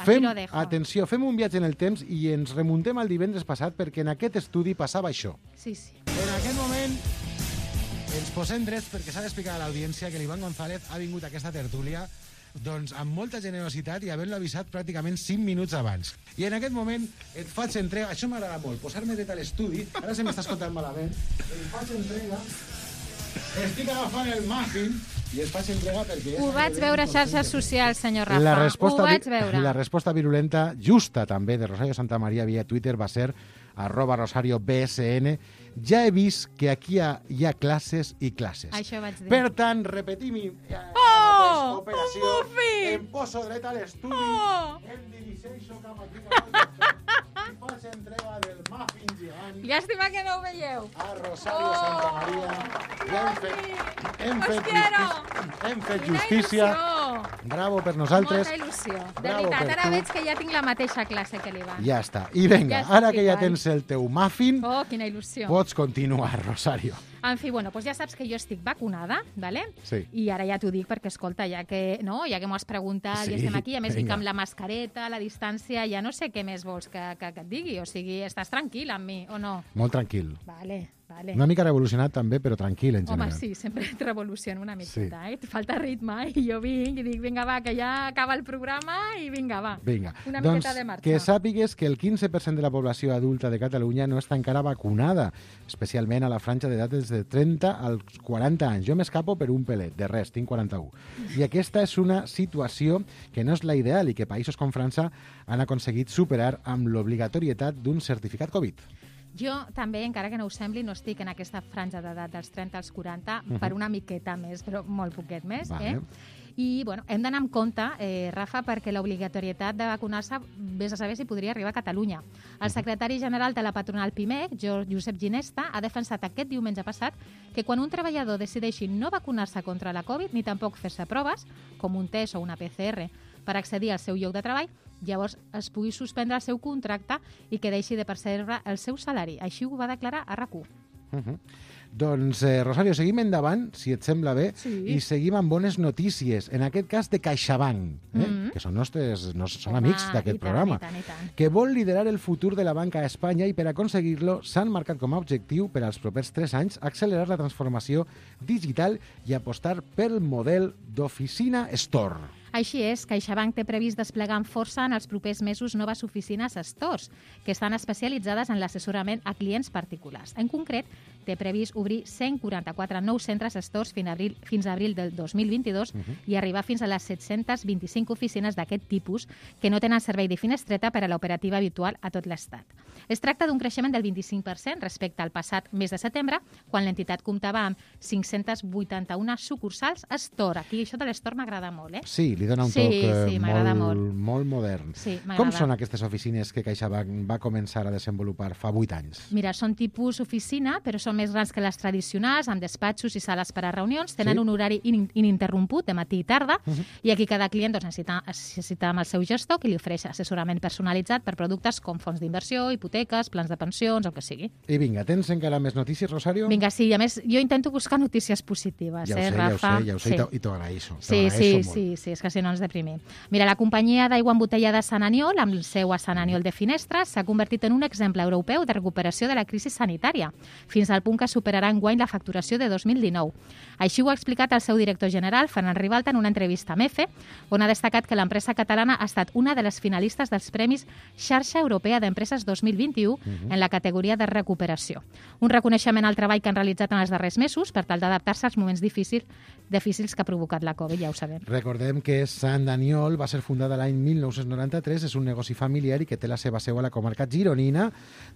Atenció, fem un viatge en el temps i ens remuntem al divendres passat perquè en aquest estudi passava això. Sí. En aquest moment ens posem drets perquè s'ha d'explicar a l'audiència que l'Ivan González ha vingut a aquesta tertúlia doncs amb molta generositat i havent-lo avisat pràcticament 5 minuts abans. I en aquest moment et faig entrega, això m'agrada molt, posar-me dret a l'estudi, ara se m'està escoltant malament, et faig entrega, estic agafant el muffin i et faig entrega perquè... Ho vaig veure a xarxes socials, senyor Rafa, ho vaig veure. La resposta virulenta, justa també, de Rosario Santamaría via Twitter va ser @RosarioBSN. Ja he vist que aquí hi ha classes i classes. Això vaig dir. Per tant, repetim operació, em poso dret a l'estudi, em dirigeixo cap aquí i faig entrega del muffin gegant. Llàstima que no ho veieu. A Rosario Santamaría. Ja hem fet justícia. Bravo per nosaltres. Molta il·lusió. De Bravo veritat, per ara tu. veig que ja tinc la mateixa classe que l'Ivan. Ja està. I vinga, Ja ara estic que ja igual. tens el teu muffin, Oh, quina il·lusió. pots continuar, Rosario. En fi, bueno, doncs ja saps que jo estic vacunada, ¿vale? Sí. I ara ja t'ho dic perquè, escolta, ja que m'ho has preguntat, Sí, ja estem aquí, a més vinga. dic amb la mascareta, la distància, ja no sé què més vols que et digui. O sigui, estàs tranquil amb mi, o no? Molt tranquil. Vale. Una mica revolucionat també, però tranquil en general. Home, sí, sempre et revoluciono una miqueta, Et falta ritme, i jo vinc i dic, vinga, va, que ja acaba el programa i vinga, va. Vinga, Una doncs miqueta de marxa. que sàpigues que el 15% de la població adulta de Catalunya no està encara vacunada, especialment a la franja d'edat des de 30 als 40 anys. Jo m'escapo per un pelet, de res, tinc 41. I aquesta és una situació que no és la ideal i que països com França han aconseguit superar amb l'obligatorietat d'un certificat Covid. Jo també, encara que no us sembli, no estic en aquesta franja d'edat dels 30 als 40 per una miqueta més, però molt poquet més. Vale. I bueno, hem d'anar amb compte, Rafa, perquè l'obligatorietat de vacunar-se, vés a saber si podria arribar a Catalunya. El secretari general de la patronal PIMEC, Josep Ginesta, ha defensat aquest diumenge passat que quan un treballador decideixi no vacunar-se contra la Covid ni tampoc fer-se proves, com un test o una PCR, per accedir al seu lloc de treball, llavors es pugui suspendre el seu contracte i que deixi de percebre el seu salari. Així ho va declarar a RAC1. Doncs, Rosario, seguim endavant, si et sembla bé, i seguim amb bones notícies, en aquest cas de CaixaBank, que són són amics d'aquest programa, que vol liderar el futur de la banca a Espanya i per aconseguir-lo s'han marcat com a objectiu per als propers 3 anys accelerar la transformació digital i apostar pel model d'oficina Store. Així és, CaixaBank té previst desplegar amb força en els propers mesos noves oficines stores, que estan especialitzades en l'assessorament a clients particulars. En concret, té previst obrir 144 nous centres stores fins a abril del 2022 i arribar fins a les 725 oficines d'aquest tipus que no tenen servei de finestreta per a l'operativa habitual a tot l'Estat. Es tracta d'un creixement del 25% respecte al passat mes de setembre, quan l'entitat comptava amb 581 sucursals store. Aquí això de l'store m'agrada molt, Sí, li dona un toc molt modern. Sí, com són aquestes oficines que CaixaBank va començar a desenvolupar fa 8 anys? Mira, són tipus oficina, però són més grans que les tradicionals, amb despatxos i sales per a reunions, tenen un horari ininterromput de matí i tarda, i aquí cada client necessita amb el seu gestor que li ofereix assessorament personalitzat per productes com fons d'inversió, hipoteques, plans de pensions, el que sigui. I vinga, tens encara més notícies, Rosario? Vinga, sí, a més, jo intento buscar notícies positives, Rafa? Ja ho sé, i t'ho agraeixo. Sí, és que si no ens deprimim. Mira, la companyia d'aigua embotellada Sant Aniol, amb el seu a Sant Aniol de Finestres, s'ha convertit en un exemple europeu de recuperació de la crisi sanitària, fins al punt que superarà enguany la facturació de 2019. Així ho ha explicat el seu director general, Ferran Ribalta, en una entrevista amb EFE, on ha destacat que l'empresa catalana ha estat una de les finalistes dels Premis Xarxa Europea d'Empreses 2021 en la categoria de recuperació. Un reconeixement al treball que han realitzat en els darrers mesos per tal d'adaptar-se als moments difícils que ha provocat la Covid, ja ho sabem. Recordem que Sant Aniol va ser fundada l'any 1993, és un negoci familiar i que té la seva seu a la comarca gironina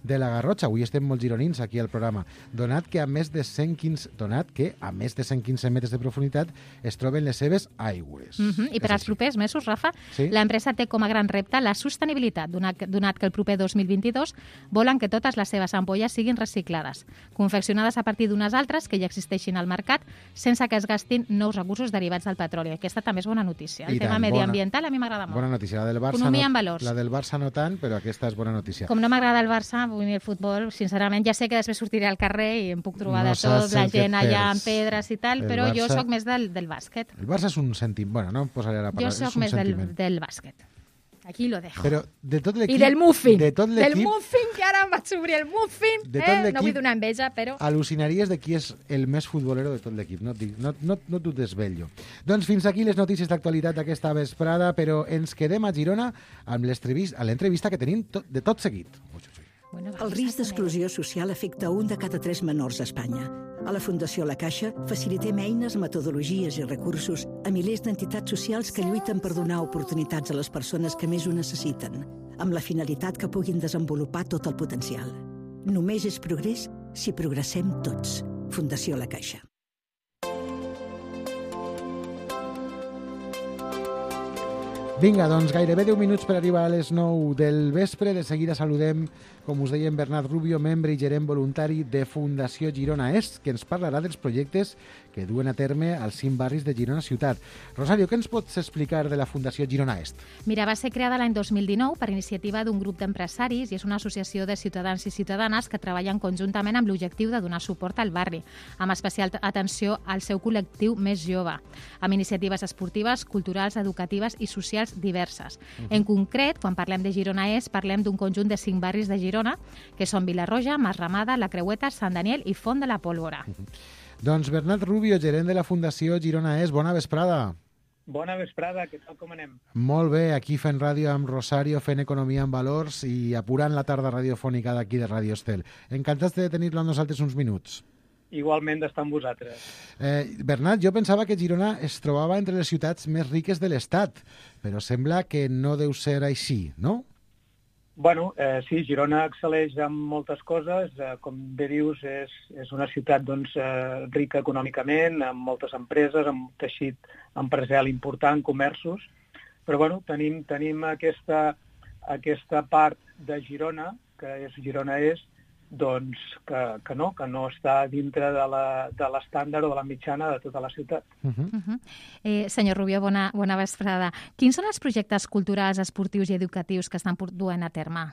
de la Garrotxa. Avui estem molt gironins aquí al programa. Donat que a més de 115 metres de profunditat es troben les seves aigües. I per als propers mesos, Rafa, l'empresa té com a gran repte la sostenibilitat, donat que el proper 2022 volen que totes les seves ampolles siguin reciclades, confeccionades a partir d'unes altres que ja existeixin al mercat, sense que es gastin nous recursos derivats del petroli. Aquesta també és bona notícia. El tema mediambiental a mi m'agrada molt. Bona notícia. La del Barça, economia en valors. La del Barça no tant, però aquesta és bona notícia. Com no m'agrada el Barça, vull dir el futbol, sincerament, ja sé que després sortiré al carrer i em puc trobar de tot, la gent allà amb pedres i tal, però jo sóc més del bàsquet. El Barça és un sentiment. Bueno, no em posaré a parlar. Jo sóc més del bàsquet. Aquí lo dejo. Però de tot l'equip... I del muffin. Del muffin, que ara em vaig obrir el muffin. No vull donar enveja, però... Al·lucinaries de qui és el més futbolero de tot l'equip. No t'ho desvello. Doncs fins aquí les notícies d'actualitat d'aquesta vesprada, però ens quedem a Girona amb l'entrevista que tenim de tot seguit. El risc d'exclusió social afecta 1 de cada 3 menors a Espanya. A la Fundació La Caixa facilitem eines, metodologies i recursos a milers d'entitats socials que lluiten per donar oportunitats a les persones que més ho necessiten, amb la finalitat que puguin desenvolupar tot el potencial. Només és progrés si progressem tots. Fundació La Caixa. Vinga, doncs gairebé 10 minuts per arribar a les 9 del vespre. De seguida saludem com us deia, en Bernat Rubio, membre i gerent voluntari de Fundació Girona Est, que ens parlarà dels projectes que duen a terme als 5 barris de Girona ciutat. Rosario, què ens pots explicar de la Fundació Girona Est? Mira, va ser creada l'any 2019 per iniciativa d'un grup d'empresaris i és una associació de ciutadans i ciutadanes que treballen conjuntament amb l'objectiu de donar suport al barri, amb especial atenció al seu col·lectiu més jove, amb iniciatives esportives, culturals, educatives i socials diverses. En concret, quan parlem de Girona Est, parlem d'un conjunt de 5 barris de Girona, que són Vilarroja, Masramada, La Creueta, Sant Daniel i Font de la Pólvora. Doncs Bernat Rubio, gerent de la Fundació Girona Est, bona vesprada. Bona vesprada, què tal, com anem? Molt bé, aquí fent ràdio amb Rosario, fent economia amb valors i apurant la tarda radiofònica d'aquí de Radio Estel. Encantats de tenir-lo amb nosaltres uns minuts. Igualment d'estar amb vosaltres. Bernat, jo pensava que Girona es trobava entre les ciutats més riques de l'Estat, però sembla que no deu ser així, no? Bueno, sí, Girona excel·leix en moltes coses. Com bé dius, és una ciutat doncs, rica econòmicament, amb moltes empreses, amb teixit empresarial important, comerços. Però bueno, tenim aquesta part de Girona, que és Girona Est, doncs que no està dintre de l'estàndard o de la mitjana de tota la ciutat. Senyor Rubio, bona vesprada. Quins són els projectes culturals, esportius i educatius que estan duent a terme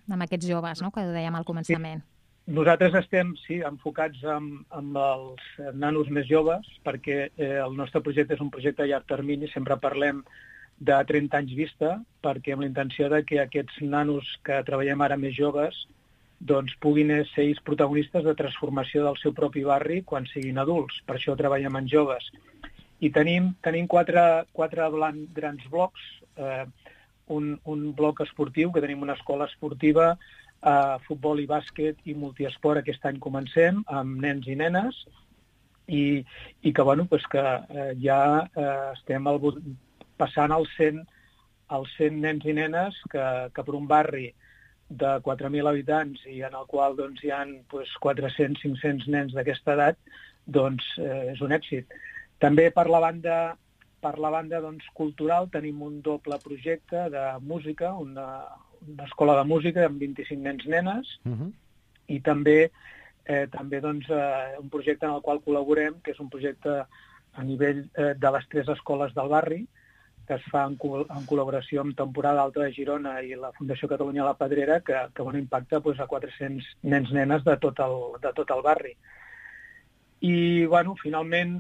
amb aquests joves, no?, que ho dèiem al començament? Nosaltres estem, enfocats amb els nanos més joves, perquè el nostre projecte és un projecte a llarg termini, sempre parlem de 30 anys vista, perquè amb la intenció de que aquests nanos que treballem ara més joves doncs puguin ser ells protagonistes de transformació del seu propi barri quan siguin adults. Per això treballem en joves. I tenim 4 grans blocs. Un bloc esportiu, que tenim una escola esportiva, futbol i bàsquet i multiesport. Aquest any comencem amb nens i nenes i que ja estem passant els 100 nens i nenes que per un barri de 4.000 habitants i en el qual hi ha 400-500 nens d'aquesta edat, és un èxit. També per la banda cultural tenim un doble projecte de música, una escola de música amb 25 nens-nenes i també un projecte en el qual col·laborem, que és un projecte a nivell de les 3 escoles del barri, que es fa en col·laboració amb Temporada Alta de Girona i la Fundació Catalunya La Pedrera, que impacta a 400 nens-nenes de tot el barri. I, finalment,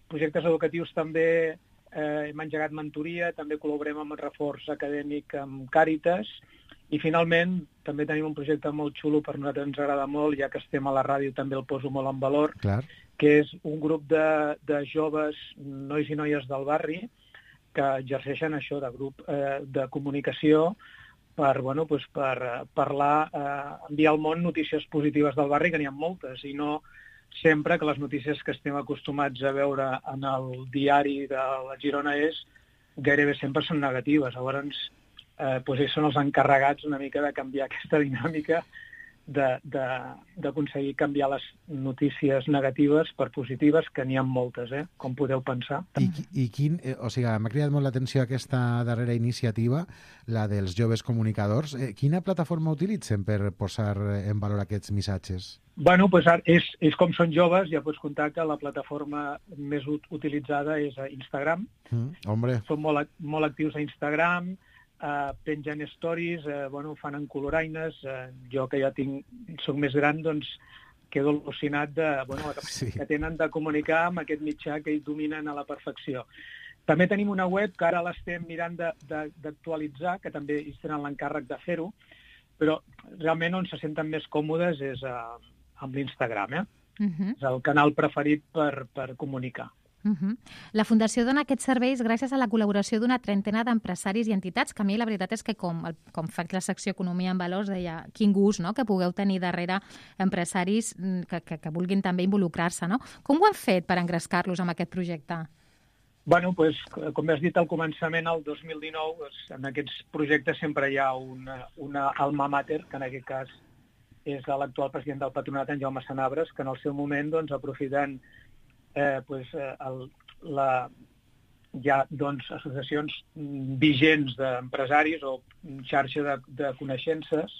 projectes educatius també hem engegat mentoria, també col·laborem amb el reforç acadèmic amb Càritas i, finalment, també tenim un projecte molt xulo, per nosaltres ens agrada molt, ja que estem a la ràdio també el poso molt en valor, que és un grup de joves, nois i noies del barri, que exerceixen això de grup de comunicació per parlar, enviar al món notícies positives del barri, que n'hi ha moltes, i no sempre que les notícies que estem acostumats a veure en el diari de la Girona Est gairebé sempre són negatives. Llavors, ells són els encarregats una mica de canviar aquesta dinàmica, d'aconseguir canviar les notícies negatives per positives, que n'hi ha moltes, com podeu pensar. M'ha cridat molt l'atenció aquesta darrera iniciativa, la dels joves comunicadors. Quina plataforma utilitzen per posar en valor aquests missatges? Bueno, ells com són joves, ja pots comptar que la plataforma més utilitzada és a Instagram. Són molt actius a Instagram, pengen stories, fan en coloraines. Jo, que ja soc més gran, quedo al·lucinat de la capacitat que tenen de comunicar amb aquest mitjà que ells dominen a la perfecció. També tenim una web que ara l'estem mirant d'actualitzar, que també ells tenen l'encàrrec de fer-ho, però realment on se senten més còmodes és amb l'Instagram. És el canal preferit per comunicar. La Fundació dona aquests serveis gràcies a la col·laboració d'una trentena d'empresaris i entitats, que a mi la veritat és que com faig la secció Economia en Valors, deia, quin gust, no?, que pugueu tenir darrere empresaris que vulguin també involucrar-se, no? Com ho han fet per engrescar-los amb aquest projecte? Bueno, com has dit al començament, el 2019, en aquests projectes sempre hi ha una alma mater, que en aquest cas és l'actual president del patronat, en Jaume Sanabres, que en el seu moment, aprofitant associacions vigents d'empresaris o xarxa de coneixences,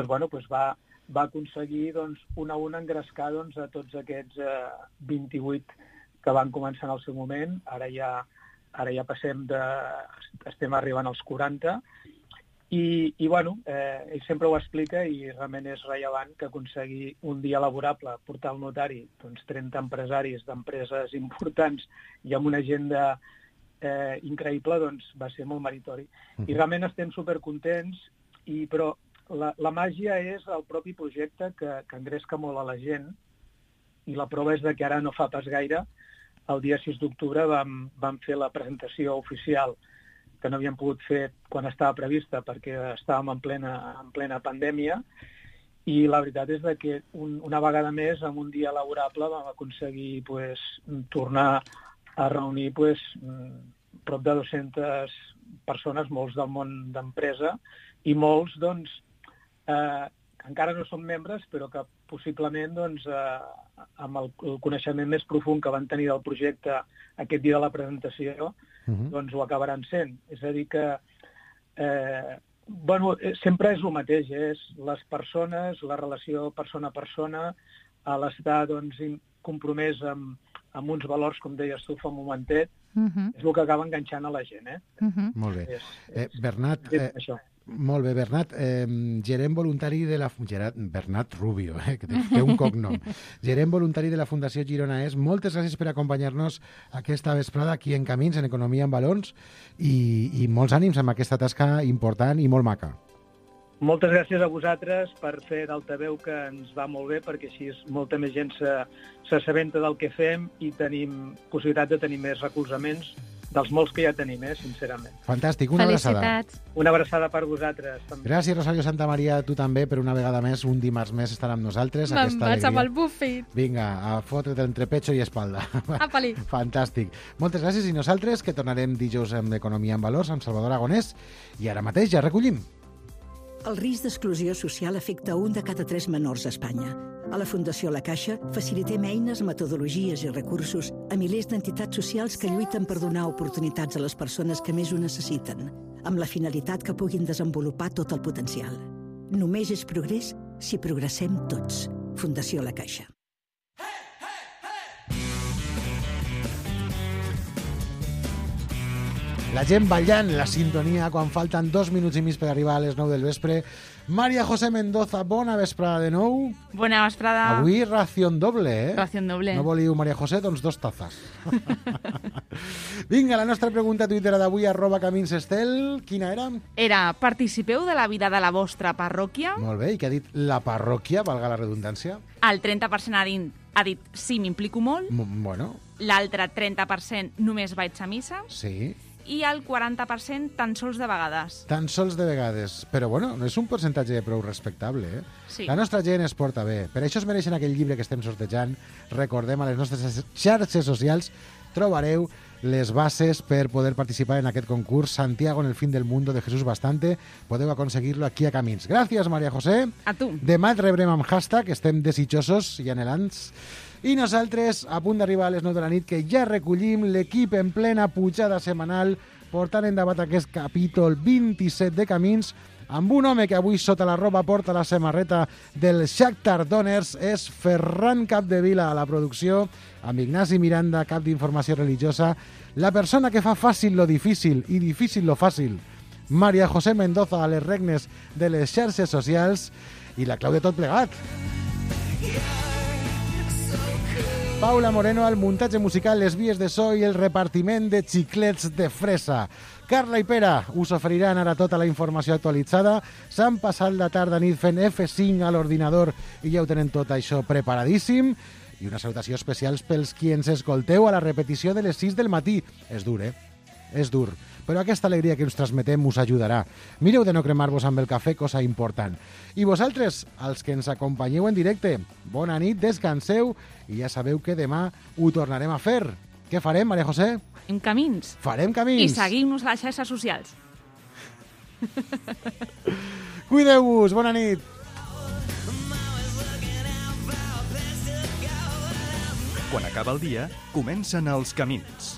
va aconseguir una a una engrescar a tots aquests 28 que van començar en el seu moment. Ara ja estem arribant als 40. I ell sempre ho explica i realment és rellevant que aconseguir un dia laborable, portar al notari 30 empresaris d'empreses importants i amb una agenda increïble, va ser molt meritori. I realment estem supercontents, però la màgia és el propi projecte que engresca molt a la gent, i la prova és que ara no fa pas gaire, el dia 6 d'octubre vam fer la presentació oficial que no havíem pogut fer quan estava prevista perquè estàvem en plena pandèmia, i la veritat és que una vegada més, en un dia laborable, vam aconseguir tornar a reunir prop de 200 persones, molts del món d'empresa, i molts encara no són membres, però que possiblement amb el coneixement més profund que van tenir del projecte aquest dia de la presentació, ho acabaran sent. És a dir que sempre és el mateix, és les persones, la relació persona a persona, l'estar compromès amb uns valors, com deies tu fa un momentet, és el que acaba enganxant a la gent. Molt bé. Bernat, molt bé, Bernat, gerent voluntari de la... Bernat Rubio, que té un cognom. Gerent voluntari de la Fundació Girona És. Moltes gràcies per acompanyar-nos aquesta vesprada aquí en Camins, en Economia en Valors, i molts ànims amb aquesta tasca important i molt maca. Moltes gràcies a vosaltres per fer d'altaveu, que ens va molt bé, perquè així molta més gent s'assabenta del que fem i tenim possibilitat de tenir més recolzaments dels molts que ja tenim, sincerament. Fantàstic, una abraçada. Felicitats. Una abraçada per vosaltres. També. Gràcies, Rosario Santamaria, tu també, per una vegada més, un dimarts més estarà amb nosaltres. Me'n vaig amb el buffet. Vinga, a fotre't entre pecho i espalda. Apa-li. Fantàstic. Moltes gràcies, i nosaltres, que tornarem dijous amb Economia en Valors, amb Salvador Aragonès, i ara mateix ja recollim. El risc d'exclusió social afecta 1 de cada 3 menors a Espanya. A la Fundació La Caixa facilitem eines, metodologies i recursos a milers d'entitats socials que lluiten per donar oportunitats a les persones que més ho necessiten, amb la finalitat que puguin desenvolupar tot el potencial. Només és progrés si progressem tots. Fundació La Caixa. La gent ballant la sintonia quan falten 2 minuts i mig per arribar a les 9 del vespre. María José Mendoza, bona vesprada de nou. Bona vesprada. Avui ración doble, Ración doble. No voliu María José? Doncs 2 tazes. Vinga, la nostra pregunta tuitera d'avui, @caminsestel. Quina era? Era, participeu de la vida de la vostra parròquia? Molt bé, i què ha dit la parròquia, valga la redundància? El 30% ha dit sí, m'implico molt. Bueno. L'altre 30% només vaig a missa. Sí. I el 40% tan sols de vegades. Tan sols de vegades. Però, bueno, no és un percentatge prou respectable, Sí. La nostra gent es porta bé. Per això es mereixen aquell llibre que estem sortejant. Recordem, a les nostres xarxes socials trobareu les bases per poder participar en aquest concurs Santiago en el fin del mundo de Jesús Bastante. Podeu aconseguir-lo aquí a Camins. Gràcies, María José. A tu. Demà et rebrem amb hashtag, estem desitjosos i anhelants. I nosaltres, a punt d'arribar a les 9 de la nit, que ja recollim l'equip en plena pujada setmanal, portant endavant aquest capítol 27 de Camins, amb un home que avui sota la roba porta la samarreta del Shakhtar Donetsk, és Ferran Capdevila a la producció, amb Ignasi Miranda, cap d'informació religiosa, la persona que fa fàcil lo difícil i difícil lo fàcil, María José Mendoza a les regnes de les xarxes socials, i la clau de tot plegat. Paula Moreno al muntatge musical, les vies de so i el repartiment de xiclets de fresa. Carla i Pere us oferiran ara tota la informació actualitzada. S'han passat la tarda nit fent F5 a l'ordinador i ja ho tenen tot això preparadíssim. I una salutació especial pels qui ens escolteu a la repetició de les 6 del matí. És dur, És dur. Però aquesta alegria que us transmetem us ajudarà. Mireu de no cremar-vos amb el cafè, cosa important. I vosaltres, els que ens acompanyeu en directe, bona nit, descanseu i ja sabeu que demà ho tornarem a fer. Què farem, María José? Farem camins. Farem camins. I seguim-nos a les xarxes socials. Cuideu-vos, bona nit. Quan acaba el dia, comencen els camins.